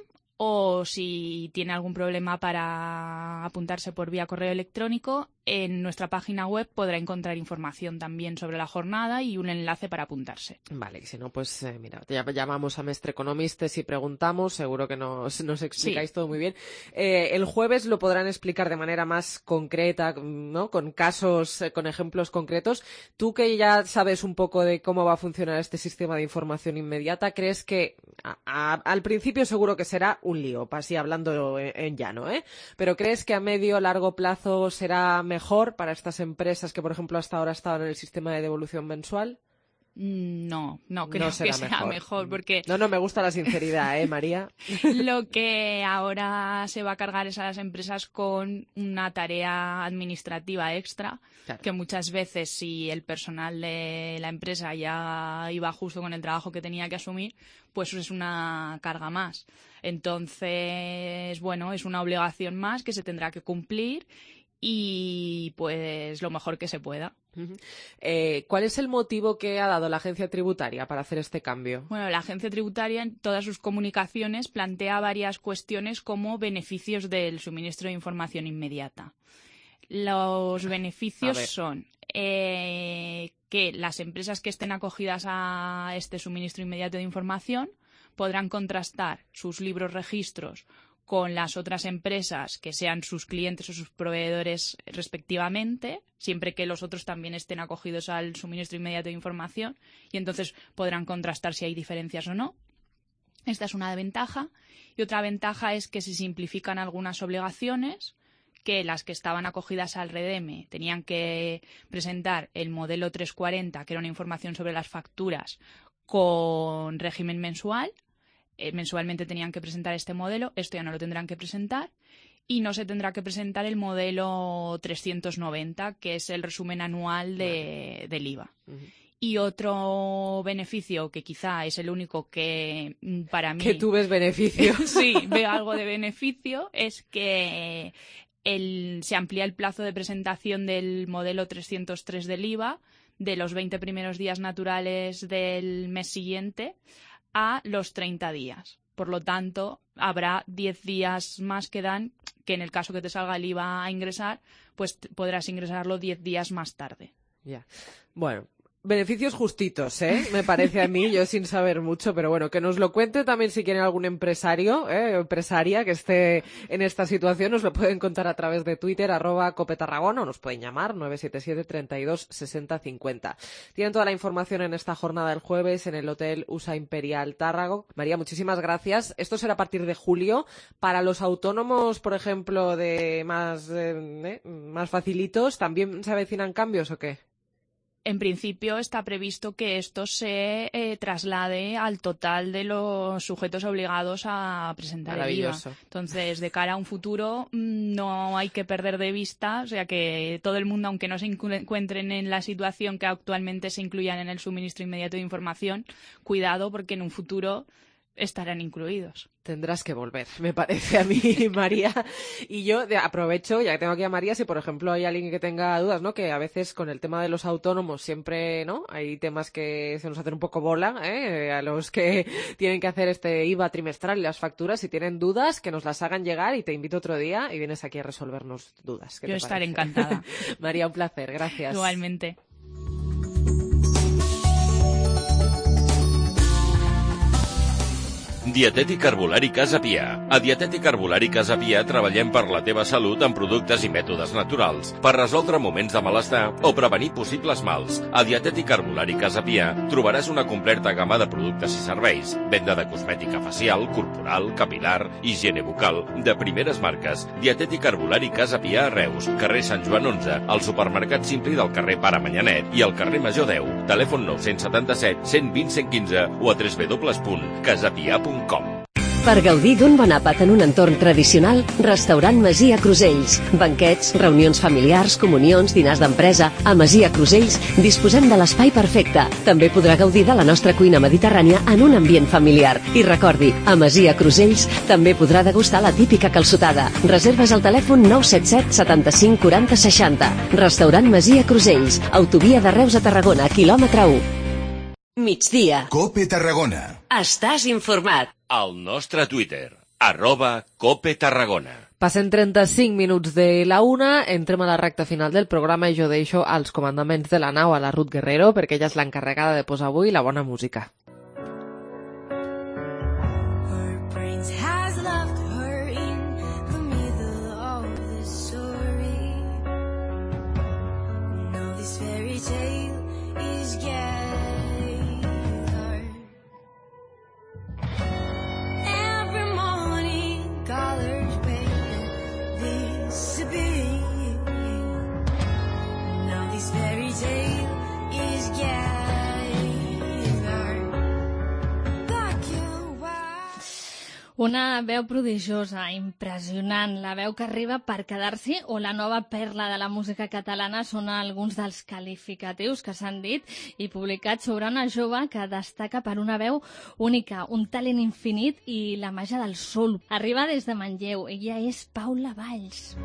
o si tiene algún problema para apuntarse por vía correo electrónico, en nuestra página web podrá encontrar información también sobre la jornada y un enlace para apuntarse. Vale, y si no, pues eh, mira, ya llamamos a Mestre Economistes y preguntamos, seguro que nos, nos explicáis sí. todo muy bien. Eh, el jueves lo podrán explicar de manera más concreta, ¿no? Con casos, eh, con ejemplos concretos. Tú que ya sabes un poco de cómo va a funcionar este sistema de información inmediata, ¿crees que a, a, al principio seguro que será un lío, así hablando en, en llano, ¿eh? Pero ¿crees que a medio o largo plazo será mejor para estas empresas que, por ejemplo, hasta ahora estaban en el sistema de devolución mensual? No, no creo no que sea mejor. mejor porque... No, no, me gusta la sinceridad, ¿eh, María? Lo que ahora se va a cargar es a las empresas con una tarea administrativa extra, claro. que muchas veces si el personal de la empresa ya iba justo con el trabajo que tenía que asumir, pues es una carga más. Entonces, bueno, es una obligación más que se tendrá que cumplir y pues lo mejor que se pueda. Uh-huh. Eh, ¿Cuál es el motivo que ha dado la agencia tributaria para hacer este cambio? Bueno, la agencia tributaria en todas sus comunicaciones plantea varias cuestiones como beneficios del suministro de información inmediata. Los beneficios son eh, que las empresas que estén acogidas a este suministro inmediato de información podrán contrastar sus libros registros con las otras empresas que sean sus clientes o sus proveedores respectivamente, siempre que los otros también estén acogidos al suministro inmediato de información, y entonces podrán contrastar si hay diferencias o no. Esta es una ventaja. Y otra ventaja es que se simplifican algunas obligaciones, que las que estaban acogidas al REDEME tenían que presentar el modelo trescientos cuarenta, que era una información sobre las facturas, con régimen mensual. Mensualmente tenían que presentar este modelo, esto ya no lo tendrán que presentar y no se tendrá que presentar el modelo trescientos noventa, que es el resumen anual de, del I V A. Uh-huh. Y otro beneficio, que quizá es el único que para mí... Que tú ves beneficio. Sí, veo algo de beneficio, es que el, se amplía el plazo de presentación del modelo trescientos tres del I V A de los veinte primeros días naturales del mes siguiente a los treinta días. Por lo tanto, habrá diez días más que dan, que en el caso que te salga el I V A a ingresar, pues podrás ingresarlo diez días más tarde. Ya. Bueno, beneficios justitos, ¿eh? Me parece a mí, yo sin saber mucho, pero bueno, que nos lo cuente también si quieren algún empresario, ¿eh? empresaria que esté en esta situación, nos lo pueden contar a través de Twitter, arroba Cope Tarragona, o nos pueden llamar nueve siete siete, treinta y dos, sesenta, cincuenta. Tienen toda la información en esta jornada del jueves en el Hotel U S A Imperial Tárrago. María, muchísimas gracias. Esto será a partir de julio. Para los autónomos, por ejemplo, de más, eh, más facilitos, ¿también se avecinan cambios o qué? En principio está previsto que esto se eh, traslade al total de los sujetos obligados a presentar el I V A. Entonces, de cara a un futuro, no hay que perder de vista, o sea, que todo el mundo, aunque no se encuentren en la situación que actualmente se incluyan en el suministro inmediato de información, cuidado porque en un futuro estarán incluidos. Tendrás que volver, me parece a mí, María. Y yo de, aprovecho, ya que tengo aquí a María, si por ejemplo hay alguien que tenga dudas, ¿no? Que a veces con el tema de los autónomos siempre, ¿no? Hay temas que se nos hacen un poco bola, ¿eh? A los que tienen que hacer este I V A trimestral y las facturas. Si tienen dudas, que nos las hagan llegar y te invito otro día y vienes aquí a resolvernos dudas. Yo estaré encantada. María, un placer, gracias. Igualmente. Dietètic Herbolari Casa Pia. A Dietètic Herbolari Casa Pia treballem per la teva salut amb productes i mètodes naturals, per resoldre moments de malestar o prevenir possibles mals. A Dietètic Herbolari Casa Pia trobaràs una completa gamma de productes i serveis, venda de cosmètica facial, corporal, capilar, higiene bucal, de primeres marques. Dietètic Herbolari Casa Pia a Reus, carrer Sant Joan onze, al supermercat Simpli del carrer Pare Manyanet i al carrer Major deu. Telèfon nou set set, cent vint, cent quinze o a w w w punt casapia punt com. Per gaudir d'un bon àpat en un entorn tradicional, Restaurant Masia Crusells. Banquets, reunions familiars, comunions, dinars d'empresa. A Masia Crusells disposem de l'espai perfecte. També podrà gaudir de la nostra cuina mediterrània en un ambient familiar. I recordi, a Masia Crusells també podrà degustar la típica calçotada. Reserves al telèfon nou set set, setanta-cinc, quaranta, seixanta. Restaurant Masia Crusells. Autovia de Reus a Tarragona, quilòmetre u. Migdia. Cope Tarragona. Estàs informat. Al nostre Twitter, arroba Cope Tarragona. Passen trenta-cinc minuts de la una, entrem a la recta final del programa i jo deixo als comandaments de la nau a la Ruth Guerrero perquè ella és l'encarregada de posar avui la bona música. Una veu prodigiosa, impressionant, la veu que arriba per quedar-s'hi o la nova perla de la música catalana són alguns dels qualificatius que s'han dit i publicats sobre una jove que destaca per una veu única, un talent infinit i la màgia del soul. Arriba des de Manlleu, ella és Paula Valls.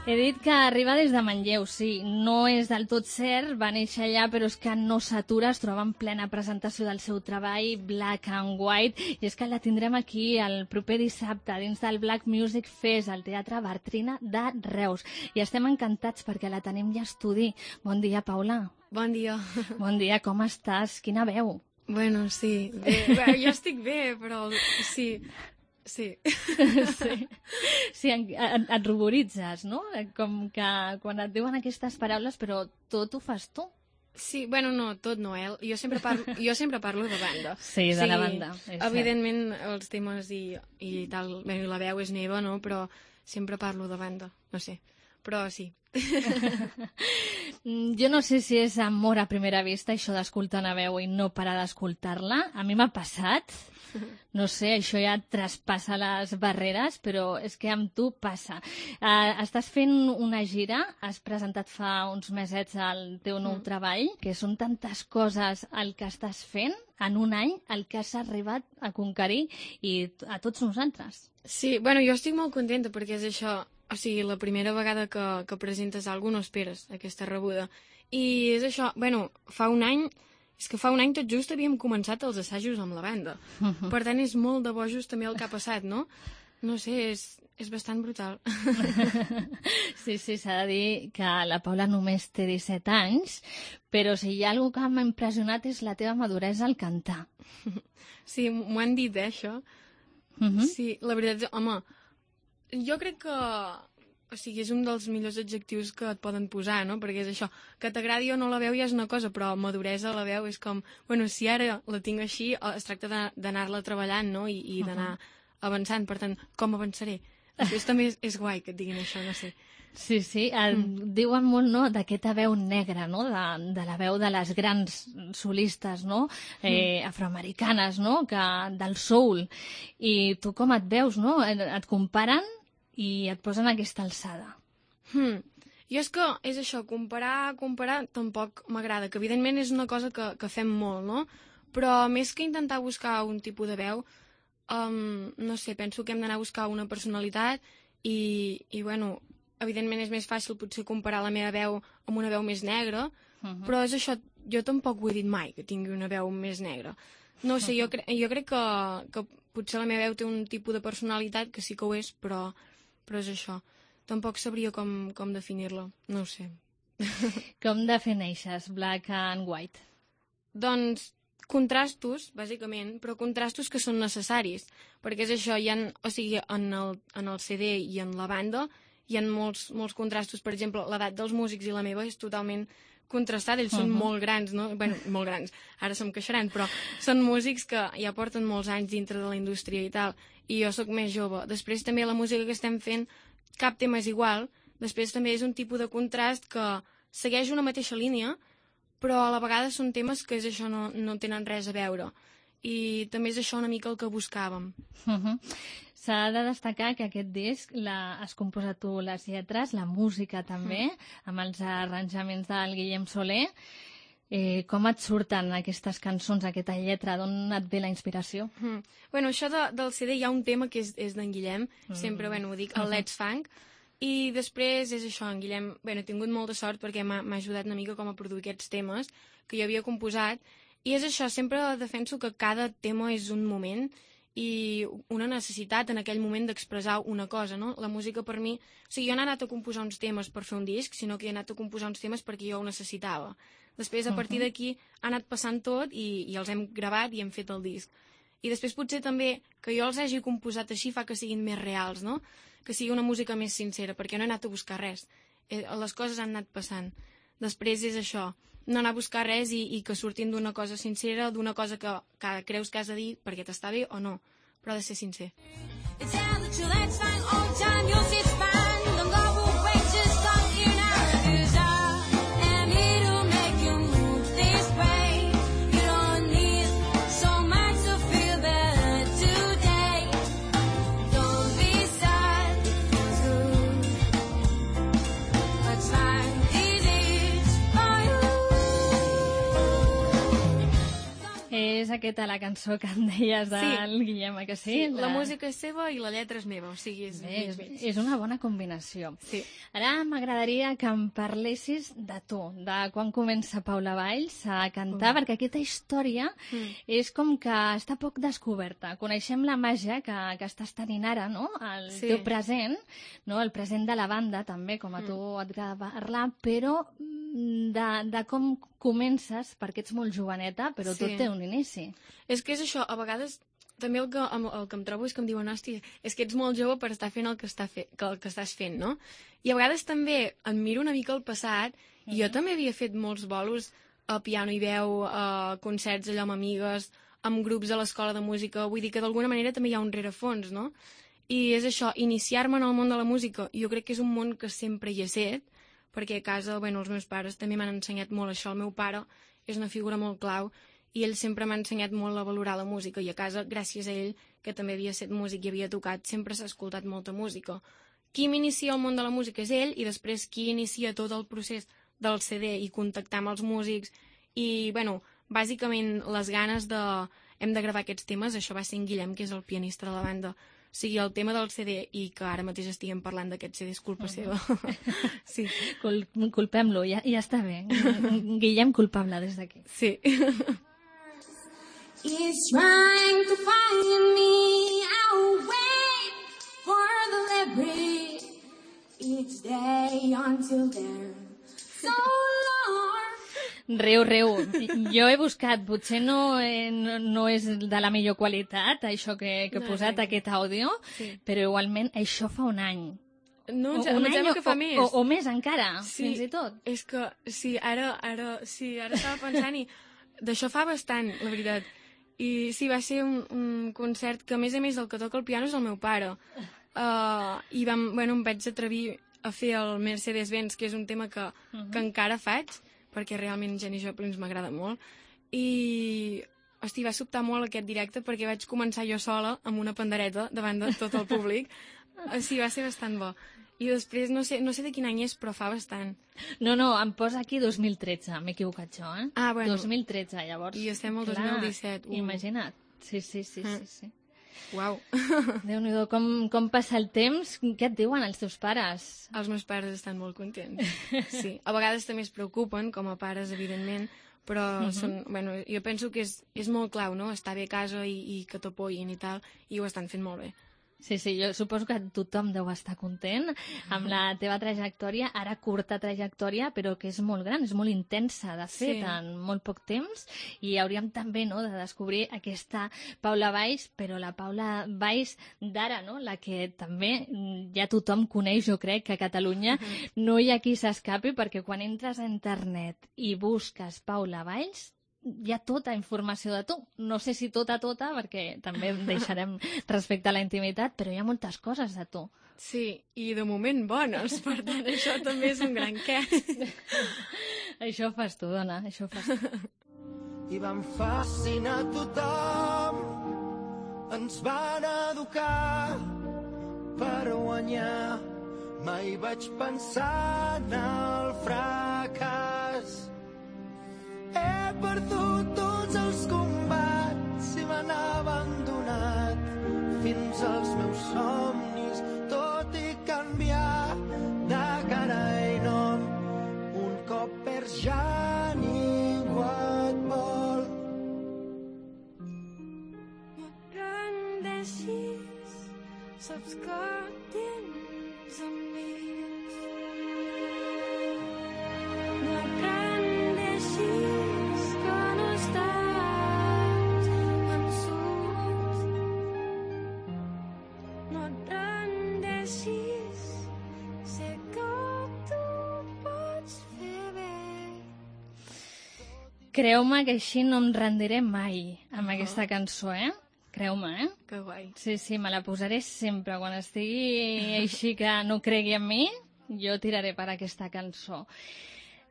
He dit que arriba des de Manlleu, sí, no és del tot cert, va néixer allà, però és que no s'atura, es troba en plena presentació del seu treball, Black and White, i és que la tindrem aquí el proper dissabte, dins del Black Music Fest, al Teatre Bartrina de Reus. I estem encantats perquè la tenim ja a estudi. Bon dia, Paula. Bon dia. Bon dia, com estàs? Quina veu? Bueno, sí, bé, bé, jo estic bé, però sí... Sí. sí. Sí, et, et ruboritzes, no? Com que quan et diuen aquestes paraules, però tot ho fas tu. Sí, bueno, no, tot no, eh? Jo sempre parlo, jo sempre parlo de banda. Sí, de sí, la banda. Evidentment, cert. Els temes i, i tal, bé, la veu és meva, no? Però sempre parlo de banda, no sé. Però sí. Jo no sé si és amor a primera vista, això d'escoltar una veu i no parar d'escoltar-la. A mi m'ha passat. No sé, això ja traspassa les barreres, però és que amb tu passa. Uh, estàs fent una gira, has presentat fa uns mesets el teu nou mm. treball, que són tantes coses el que estàs fent en un any, el que has arribat a conquerir i a tots nosaltres. Sí, bueno, jo estic molt contenta perquè és això, o sigui, la primera vegada que, que presentes alguna cosa no esperes aquesta rebuda. I és això, bueno, fa un any, és que fa un any tot just havíem començat els assajos amb la banda. Uh-huh. Per tant, és molt de bojos també el que ha passat, no? No sé, és, és bastant brutal. Sí, sí, s'ha de dir que la Paula només té disset anys, però si hi ha alguna cosa que m'ha impressionat és la teva maduresa al cantar. Sí, m'ho han dit, eh, això. Uh-huh. Sí, la veritat, home, jo crec que... O sigui, és un dels millors adjectius que et poden posar, no? Perquè és això, que t'agradi o no la veu ja és una cosa, però maduresa a la veu és com... Bueno, si ara la tinc així, es tracta d'anar-la treballant, no? I, i d'anar avançant. Per tant, com avançaré? Després també és, és guai que et diguin això, no sé. Sí, sí, el, mm. diuen molt, no?, d'aquesta veu negra, no?, de, de la veu de les grans solistes, no?, eh, mm. afroamericanes, no?, que, del soul. I tu com et veus, no?, et comparen i et posen aquesta alçada. Hmm. Jo és que, és això, comparar, comparar tampoc m'agrada, que evidentment és una cosa que, que fem molt, no? Però més que intentar buscar un tipus de veu, um, no sé, penso que hem d'anar a buscar una personalitat i, i, bueno, evidentment és més fàcil potser comparar la meva veu amb una veu més negra, uh-huh. però és això, jo tampoc ho he dit mai, que tingui una veu més negra. No sé, jo, cre jo crec que, que potser la meva veu té un tipus de personalitat que sí que ho és, però... però és això. Tampoc sabria com, com definir-la. No ho sé. Com defineixes Black and White? Doncs contrastos, bàsicament, però contrastos que són necessaris. Perquè és això, hi ha, o sigui, en el, en el C D i en la banda hi ha molts, molts contrastos. Per exemple, l'edat dels músics i la meva és totalment contrastada. Ells són uh-huh. molt grans, no? Bueno, molt grans. Ara se'm queixaran, però són músics que ja porten molts anys dintre de la indústria i tal. I jo sóc més jove. Després també la música que estem fent, cap tema és igual. Després també és un tipus de contrast que segueix una mateixa línia, però a la vegada són temes que és això, no, no tenen res a veure. I també és això una mica el que buscàvem. Uh-huh. S'ha de destacar que aquest disc la, has composat tu les lletres, la música també, uh-huh. amb els arranjaments del Guillem Soler. Eh, com et surten aquestes cançons, aquesta lletra? D'on et ve la inspiració? Mm. Bueno, això de, del C D hi ha un tema que és, és d'en Guillem, mm. sempre, bueno, ho dic, el Let's Funk, i després és això, en Guillem, bueno, he tingut molta sort perquè m'ha ajudat una mica com a produir aquests temes que jo havia composat, i és això, sempre defenso que cada tema és un moment i una necessitat en aquell moment d'expressar una cosa, no? La música per mi... O sigui, jo no he anat a composar uns temes per fer un disc, sinó que he anat a composar uns temes perquè jo ho necessitava. Després, a partir d'aquí, ha anat passant tot i, i els hem gravat i hem fet el disc. I després potser també que jo els hagi composat així fa que siguin més reals, no? Que sigui una música més sincera, perquè no he anat a buscar res. Les coses han anat passant. Després és això, no anar a buscar res i, i que surtin d'una cosa sincera, d'una cosa que, que creus que has de dir perquè t'està bé o no, però ha de ser sincer. És aquesta la cançó que em deies del sí. Guillem, que sí? Sí, la... la música és seva i la lletra és meva, o sigui, és Bé, mig, mig. És una bona combinació. Sí. Ara m'agradaria que em parlessis de tu, de quan comença Paula Valls a cantar, mm. perquè aquesta història mm. és com que està poc descoberta. Coneixem la màgia que, que estàs tenint ara, no? El sí. teu present, no? El present de la banda, també, com a tu mm. et agrada parlar, però de, de com comences, perquè ets molt joveneta, però sí. tot té un inici. És que és això, a vegades també el que, el que em trobo és que em diuen, hòstia, és que ets molt jove per estar fent el que, està fe, que, el que estàs fent, no? I a vegades també admiro una mica el passat, mm-hmm. i jo també havia fet molts bolos a piano i veu, a concerts allò amb amigues, amb grups a l'escola de música, vull dir que d'alguna manera també hi ha un rerefons, no? I és això, iniciar-me en el món de la música, jo crec que és un món que sempre hi he set, perquè a casa, bueno, els meus pares també m'han ensenyat molt això, el meu pare és una figura molt clau, i ell sempre m'ha ensenyat molt a valorar la música, i a casa, gràcies a ell, que també havia set músic i havia tocat, sempre s'ha escoltat molta música. Qui m'inicia al món de la música és ell, i després qui inicia tot el procés del C D i contactar amb els músics, i, bueno, bàsicament les ganes de... hem de gravar aquests temes, això va ser en Guillem, que és el pianista de la banda. O sigui, el tema del C D, i que ara mateix estiguem parlant d'aquest C D, és culpa seva. Sí. Cul culpem-lo, ja, ja està bé. Guillem culpable des d'aquí. Sí. He's trying to find me, I'll wait for the library each day until then. So long. Reu, reu. Jo he buscat, potser no, eh, no, no és de la millor qualitat, això que, que he posat, aquest àudio, sí. Però igualment això fa un any. No, o, em sembla que fa o, més. O, o més encara, sí, fins i tot. És que, sí, ara, ara, sí, ara estava pensant i d'això fa bastant, la veritat. I sí, va ser un, un concert que, a més a més, el que toca el piano és el meu pare. Uh, I vam, bueno, em vaig atrevir a fer el Mercedes-Benz, que és un tema que, uh-huh. que encara faig, perquè realment Janis Joplin m'agrada molt. I, hosti, va sobtar molt aquest directe perquè vaig començar jo sola amb una pandereta davant de tot el públic. Sí, va ser bastant bo. I després, no sé, no sé de quin any és, però fa bastant. No, no, em posa aquí dos mil tretze, m'he equivocat jo, eh? Ah, bueno. dos mil tretze, llavors. I estem al clar, dos mil disset. Uh. Imagina't. Sí, sí, sí, ah. sí, sí. Uau. Déu-n'hi-do, com, com passa el temps? Què et diuen els teus pares? Els meus pares estan molt contents, sí. A vegades també es preocupen, com a pares, evidentment, però uh-huh. són, bueno, jo penso que és, és molt clau, no?, estar bé a casa i, i que t'apoyin i tal, i ho estan fent molt bé. Sí, sí, jo suposo que tothom deu estar content amb la teva trajectòria, ara curta trajectòria, però que és molt gran, és molt intensa, de fet, sí. En molt poc temps, i hauríem també, no?, de descobrir aquesta Paula Valls, però la Paula Valls d'ara, no?, la que també ja tothom coneix, jo crec, que a Catalunya uh-huh. no hi ha qui s'escapi, perquè quan entres a internet i busques Paula Valls, hi ha tota informació de tu. No sé si tota, tota, perquè també deixarem respecte a la intimitat, però hi ha moltes coses de tu. Sí, i de moment bones, per tant, això també és un gran què. Això fas tu, dona, això fas tu. I van fascinar tothom, ens van educar per guanyar. Mai vaig pensar en el fracàs. He perdut tots els combats i m'han abandonat fins als meus somnis, tot i canviar de cara i nom. Un cop perds ja ningú et vol. No et rendeixis, saps que tens amics. No et rendeixis, creu-me que així no em rendiré mai amb aquesta cançó, eh? Creu-me, eh? Que guai. Sí, sí, me la posaré sempre. Quan estigui així que no cregui en mi, jo tiraré per aquesta cançó.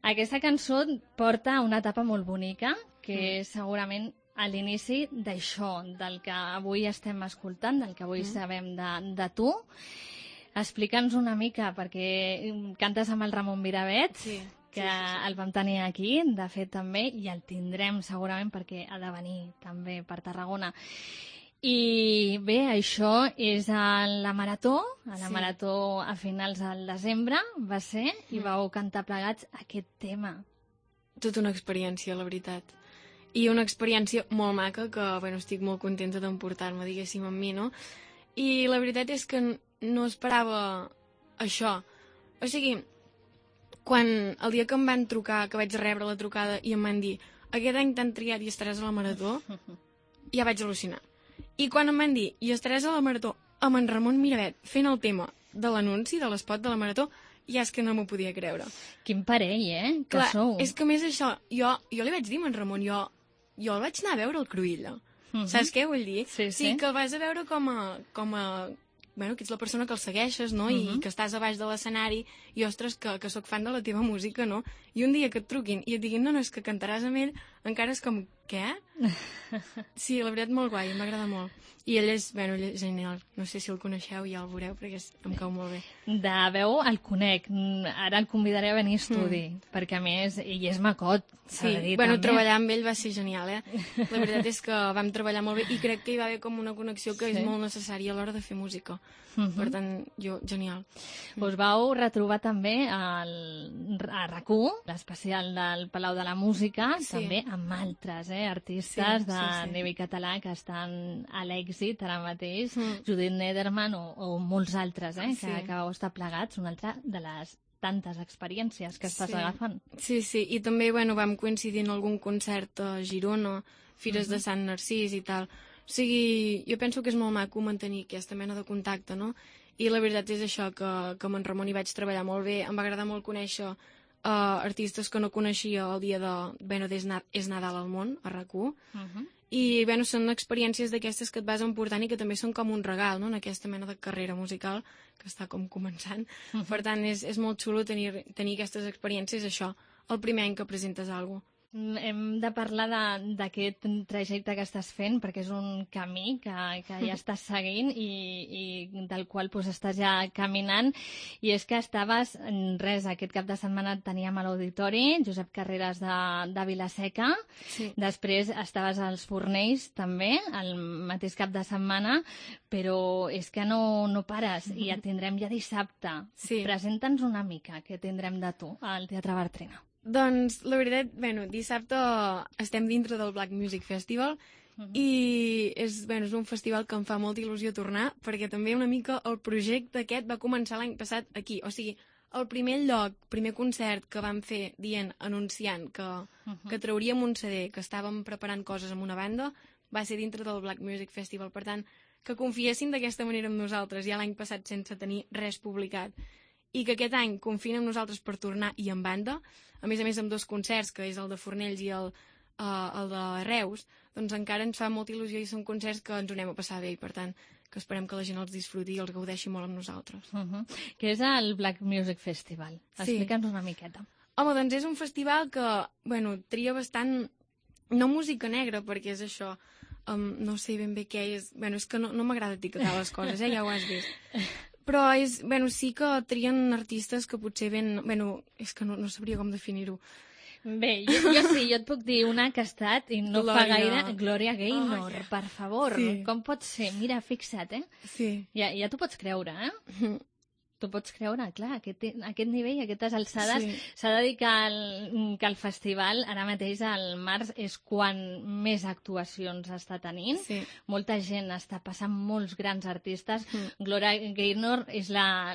Aquesta cançó porta una etapa molt bonica, que mm. és segurament a l'inici d'això, del que avui estem escoltant, del que avui mm. sabem de, de tu. Explica'ns una mica, perquè cantes amb el Ramon Miravet, sí. que sí, sí, sí. el vam tenir aquí, de fet també, i el tindrem segurament perquè ha de venir també per Tarragona. I bé, això és a la Marató, a la sí. Marató a finals del desembre va ser, i vau cantar plegats aquest tema. Tota una experiència, la veritat. I una experiència molt maca que, bueno, estic molt contenta d'emportar-me, diguéssim, amb mi, no? I la veritat és que no esperava això. O sigui, quan el dia que em van trucar, que vaig rebre la trucada i em van dir aquest any t'han triat i estaràs a la Marató, ja vaig al·lucinar. I quan em van dir i estaràs a la Marató amb en Ramon Miravet fent el tema de l'anunci, de l'espot de la Marató, ja és que no m'ho podia creure. Quin parell, eh? Que clar, sou. És que més això, jo, jo li vaig dir a en Ramon, jo, jo el vaig anar a veure al Cruïlla. Uh-huh. Saps què vull dir? Sí, sí. Sí, que el vas a veure com a... Com a bueno, que ets la persona que el segueixes, no? Uh-huh. I que estàs a baix de l'escenari i, ostres, que, que sóc fan de la teva música, no? I un dia que et truquin i et diguin no, no, és que cantaràs amb ell, encara és com, què? Sí, la veritat, molt guai, m'agrada molt. I ell és, bueno, ell és genial. No sé si el coneixeu, ja el veureu, perquè és, em cau molt bé. De veu el conec. Ara el convidaré a venir a estudi, mm. perquè a més, ell és macot. Sí, bueno, també. Treballar amb ell va ser genial, eh? La veritat és que vam treballar molt bé i crec que hi va haver com una connexió que sí. és molt necessària a l'hora de fer música. Mm-hmm. Per tant, jo, genial. Us vau retrobar també al, a R A C U, l'especial del Palau de la Música, sí. també amb altres eh, artistes sí, de sí, sí. nivell català que estan a l'èxit ara mateix, mm. Judit Nederman o, o molts altres eh, que, sí. que vau estar plegats, una altra de les tantes experiències que estàs sí. agafant. Sí, sí, i també bueno, vam coincidir en algun concert a Girona, Fires uh-huh. de Sant Narcís i tal. O sigui, jo penso que és molt maco mantenir aquesta mena de contacte, no? I la veritat és això, que, que amb en Ramon hi vaig treballar molt bé, em va agradar molt conèixer uh, artistes que no coneixia el dia de... Bueno, és, na és Nadal al món, a R A C U, uh-huh. i bueno, són experiències d'aquestes que et vas emportant i que també són com un regal, no?, en aquesta mena de carrera musical que està com començant. Uh-huh. Per tant, és, és molt xulo tenir, tenir aquestes experiències, això, el primer any que presentes alguna cosa. Hem de parlar d'aquest trajecte que estàs fent, perquè és un camí que, que ja estàs seguint i, i del qual pues, estàs ja caminant. I és que estaves, res, aquest cap de setmana teníem a l'auditori Josep Carreras de, de Vilaseca, sí. després estaves als Fornells també, el mateix cap de setmana, però és que no, no pares i et tindrem ja dissabte. Sí. Presenta'ns una mica què tindrem de tu al Teatre Bartrina. Doncs, la veritat, bueno, dissabte estem dintre del Black Music Festival uh-huh. i és, bueno, és un festival que em fa molta il·lusió tornar, perquè també una mica el projecte aquest va començar l'any passat aquí. O sigui, el primer lloc, primer concert que vam fer dient, anunciant que, uh-huh. que trauríem un C D, que estàvem preparant coses amb una banda, va ser dintre del Black Music Festival. Per tant, que confiessin d'aquesta manera amb nosaltres ja l'any passat sense tenir res publicat, i que aquest any confien en nosaltres per tornar i en banda, a més a més amb dos concerts, que és el de Fornells i el, uh, el de Reus, doncs encara ens fa molta il·lusió i són concerts que ens ho anem a passar bé i per tant que esperem que la gent els disfruti i els gaudeixi molt amb nosaltres. Uh-huh. Què és el Black Music Festival? Explica'ns sí. una miqueta. Home, doncs és un festival que, bueno, tria bastant, no música negra, perquè és això, um, no sé ben bé què és, bueno, és que no, no m'agrada etiquetar les coses, eh, ja ho has vist. Però és, bueno, sí que trien artistes que potser ven... Bueno, és que no, no sabria com definir-ho. Bé, jo, jo sí, jo et puc dir una que ha estat, i no Glòria. fa gaire, Gloria Gaynor, oh, yeah. per favor. Sí. Com pot ser? Mira, fixa't, eh? Sí. Ja, ja t'ho pots creure, eh? T'ho pots creure, clar, aquest, aquest nivell, aquestes alçades. S'ha sí. de dir que el, que el festival, ara mateix, al març, és quan més actuacions està tenint. Sí. Molta gent està passant, molts grans artistes. Mm. Gloria Gaynor és la,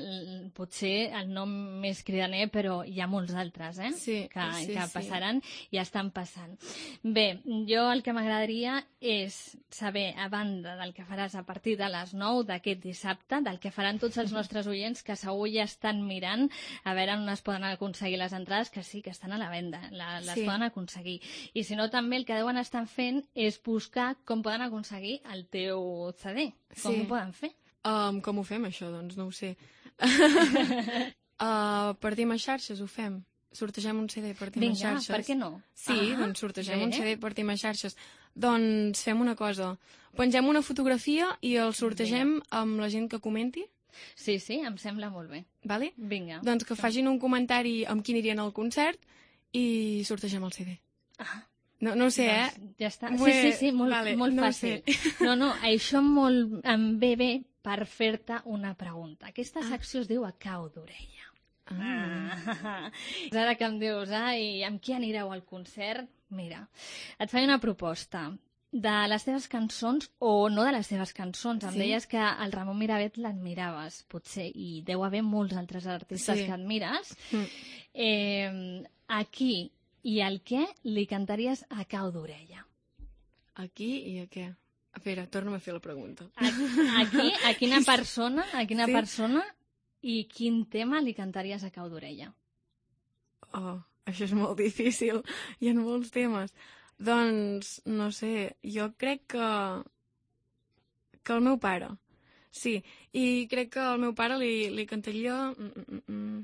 potser el nom més cridaner, però hi ha molts altres, eh? Sí, que, sí, que passaran sí. i estan passant. Bé, jo el que m'agradaria és saber, a banda del que faràs a partir de les nou d'aquest dissabte, del que faran tots els nostres oients, que segur ja estan mirant a veure on es poden aconseguir les entrades, que sí, que estan a la venda, la, les sí. poden aconseguir. I si no, també el que deuen estar fent és buscar com poden aconseguir el teu C D. Com sí. ho poden fer? Um, com ho fem, això? Doncs no ho sé. uh, per dir més xarxes ho fem. Sortegem un C D per dir més xarxes. Vinga, per què no? Sí, ah, doncs sortegem bé. un C D per dir més xarxes. Doncs fem una cosa. Pengem una fotografia i el sortegem Vinga. amb la gent que comenti. Sí, sí, em sembla molt bé. Vale? Vinga. Doncs que facin un comentari amb qui anirien al concert i sortegem el C D. Ah. No, no ho sé, doncs, eh? Ja està. Sí, sí, sí, molt, vale, molt no fàcil. No, no, això molt, em ve bé per fer-te una pregunta. Aquesta ah. secció es diu A cau d'orella. Ah. ah. Ara que em dius, ai, amb qui anireu al concert? Mira, et faig una proposta. De les teves cançons, o no de les teves cançons, em sí? deies que el Ramon Miravet l'admiraves, potser, i deu haver molts altres artistes sí. que admires. Mm. Eh, a qui i al què li cantaries A cau d'orella? A qui i a què? A veure, torna'm a fer la pregunta. A, a qui, a quina persona, a quina sí? persona i quin tema li cantaries A cau d'orella? Oh, això és molt difícil. Hi ha molts temes. Doncs, no sé, jo crec que... que el meu pare. Sí, i crec que al meu pare li, li cantaria... Mm, mm, mm.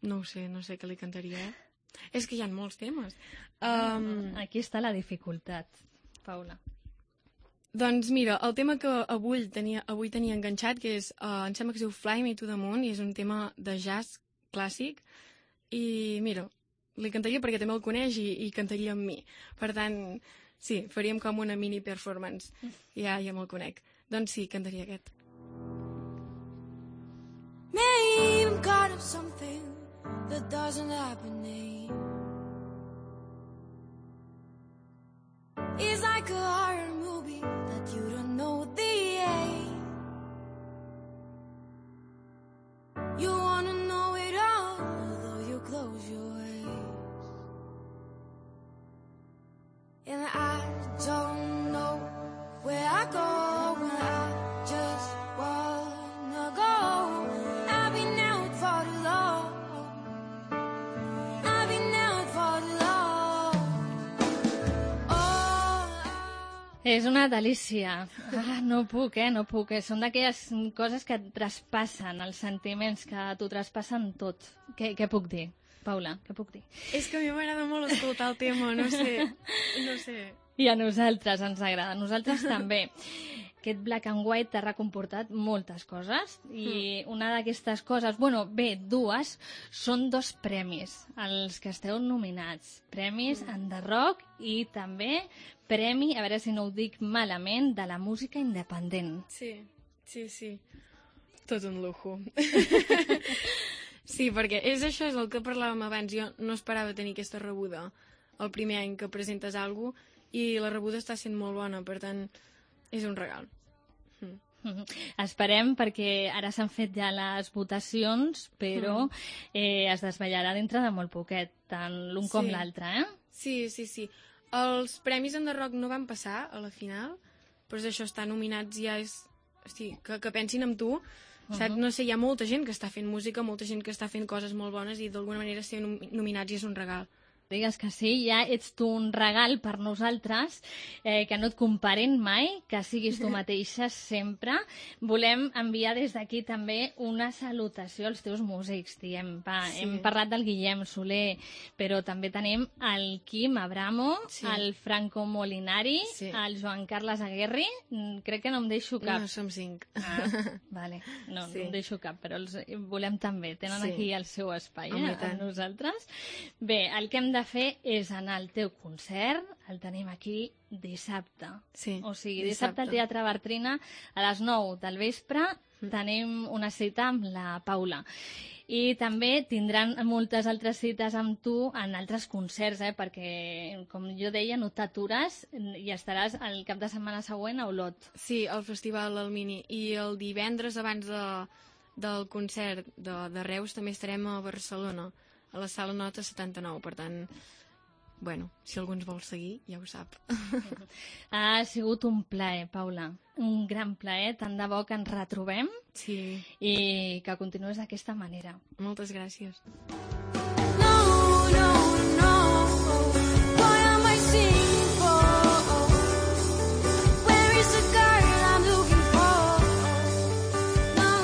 No ho sé, no sé què li cantaria. És que hi ha molts temes. Um... Aquí està la dificultat, Paula. Doncs mira, el tema que avui tenia, avui tenia enganxat, que és, uh, em sembla que es diu Fly Me to the Moon, i és un tema de jazz clàssic, i mira, li cantaria perquè també el coneix i, i cantaria amb mi. Per tant, sí, faríem com una mini performance. Ja, ja me'l conec. Doncs sí, cantaria aquest. Maybe I'm caught up something that doesn't happen, eh? It's like a horror movie that you don't know the end. You wanna know it all, although you close your eyes. And I don't know where I go when I just wanna go. I've been out for too long. I've been out for too long. És una delícia. Ah, no puc, eh? No puc. Eh? Són d'aquelles coses que et traspassen, els sentiments que t'ho traspassen tot. Què, què puc dir, Paula? Què puc dir? És que a mi m'agrada molt escoltar el tema, no sé, no sé. I a nosaltres ens agrada, a nosaltres també. Aquest Black and White t'ha recomportat moltes coses i una d'aquestes coses, bueno, bé, dues, són dos premis, els que esteu nominats. Premis en The Rock i també premi, a veure si no ho dic malament, de la música independent. Sí, sí, sí. Tot un lujo. Sí, perquè és això, és el que parlàvem abans. Jo no esperava tenir aquesta rebuda el primer any que presentes alguna cosa i la rebuda està sent molt bona, per tant, és un regal. Mm. Mm-hmm. Esperem, perquè ara s'han fet ja les votacions, però mm. eh, es desvetllarà dintre de molt poquet, tant l'un sí. com l'altre, eh? Sí, sí, sí. Els premis en The Rock no van passar a la final, però és això, estar nominats ja és... Hosti, que, que pensin en tu, uh-huh. saps? No sé, hi ha molta gent que està fent música, molta gent que està fent coses molt bones i d'alguna manera ser nominats ja és un regal. Digues que sí, ja ets tu un regal per nosaltres, eh, que no et comparen mai, que siguis tu mateixa sempre. Volem enviar des d'aquí també una salutació als teus músics, diem. Va, sí. Hem parlat del Guillem Soler, però també tenim el Quim Abramo, sí. el Franco Molinari, sí. el Joan Carles Aguerri, crec que no em deixo cap. No, som cinc. Ah, vale, no, sí. no em deixo cap, però els volem també, tenen sí. aquí el seu espai, eh, amb nosaltres. Bé, el que hem de de fer és anar al teu concert, el tenim aquí dissabte. Sí, o sigui, dissabte al Teatre Bartrina a les nou del vespre mm. tenim una cita amb la Paula. I també tindran moltes altres cites amb tu en altres concerts, eh? Perquè, com jo deia, no t'atures i estaràs el cap de setmana següent a Olot. Sí, al Festival del Mini. I el divendres abans de, del concert de, de Reus també estarem a Barcelona, a la Sala Nota setanta-nou, per tant, bueno, si algú ens vol seguir, ja ho sap. Ha sigut un plaer, Paula, un gran plaer, tant de bo que ens retrobem sí. i que continuïs d'aquesta manera. Moltes gràcies. No, no, no, what am I singing for? Where is the girl I'm looking for? No,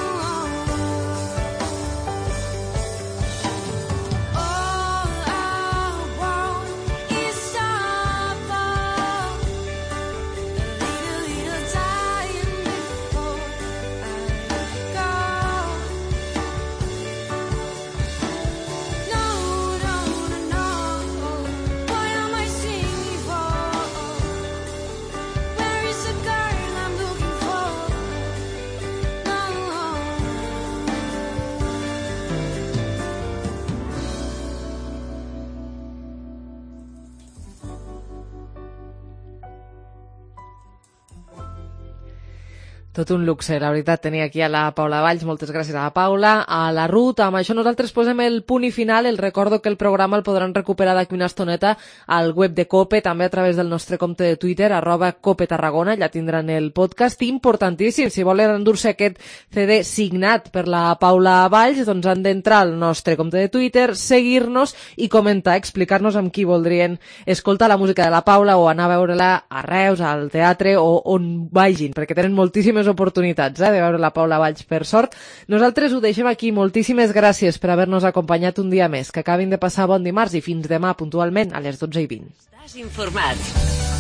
Tot un luxe, la veritat, tenir aquí a la Paula Valls. Moltes gràcies a la Paula, a la Ruth. Amb això nosaltres posem el punt i final. El recordo que el programa el podran recuperar d'aquí una estoneta al web de COPE, també a través del nostre compte de Twitter, arroba COPE Tarragona. Ja tindran el podcast. Importantíssim, si volen endur-se aquest C D signat per la Paula Valls, doncs han d'entrar al nostre compte de Twitter, seguir-nos i comentar, explicar-nos amb qui voldrien escoltar la música de la Paula o anar a veure-la a Reus, al teatre o on vagin, perquè tenen moltíssimes més oportunitats eh, de veure la Paula Valls, per sort. Nosaltres ho deixem aquí. Moltíssimes gràcies per haver-nos acompanyat un dia més. Que acabin de passar bon dimarts i fins demà puntualment a les dotze i vint. Estàs informat.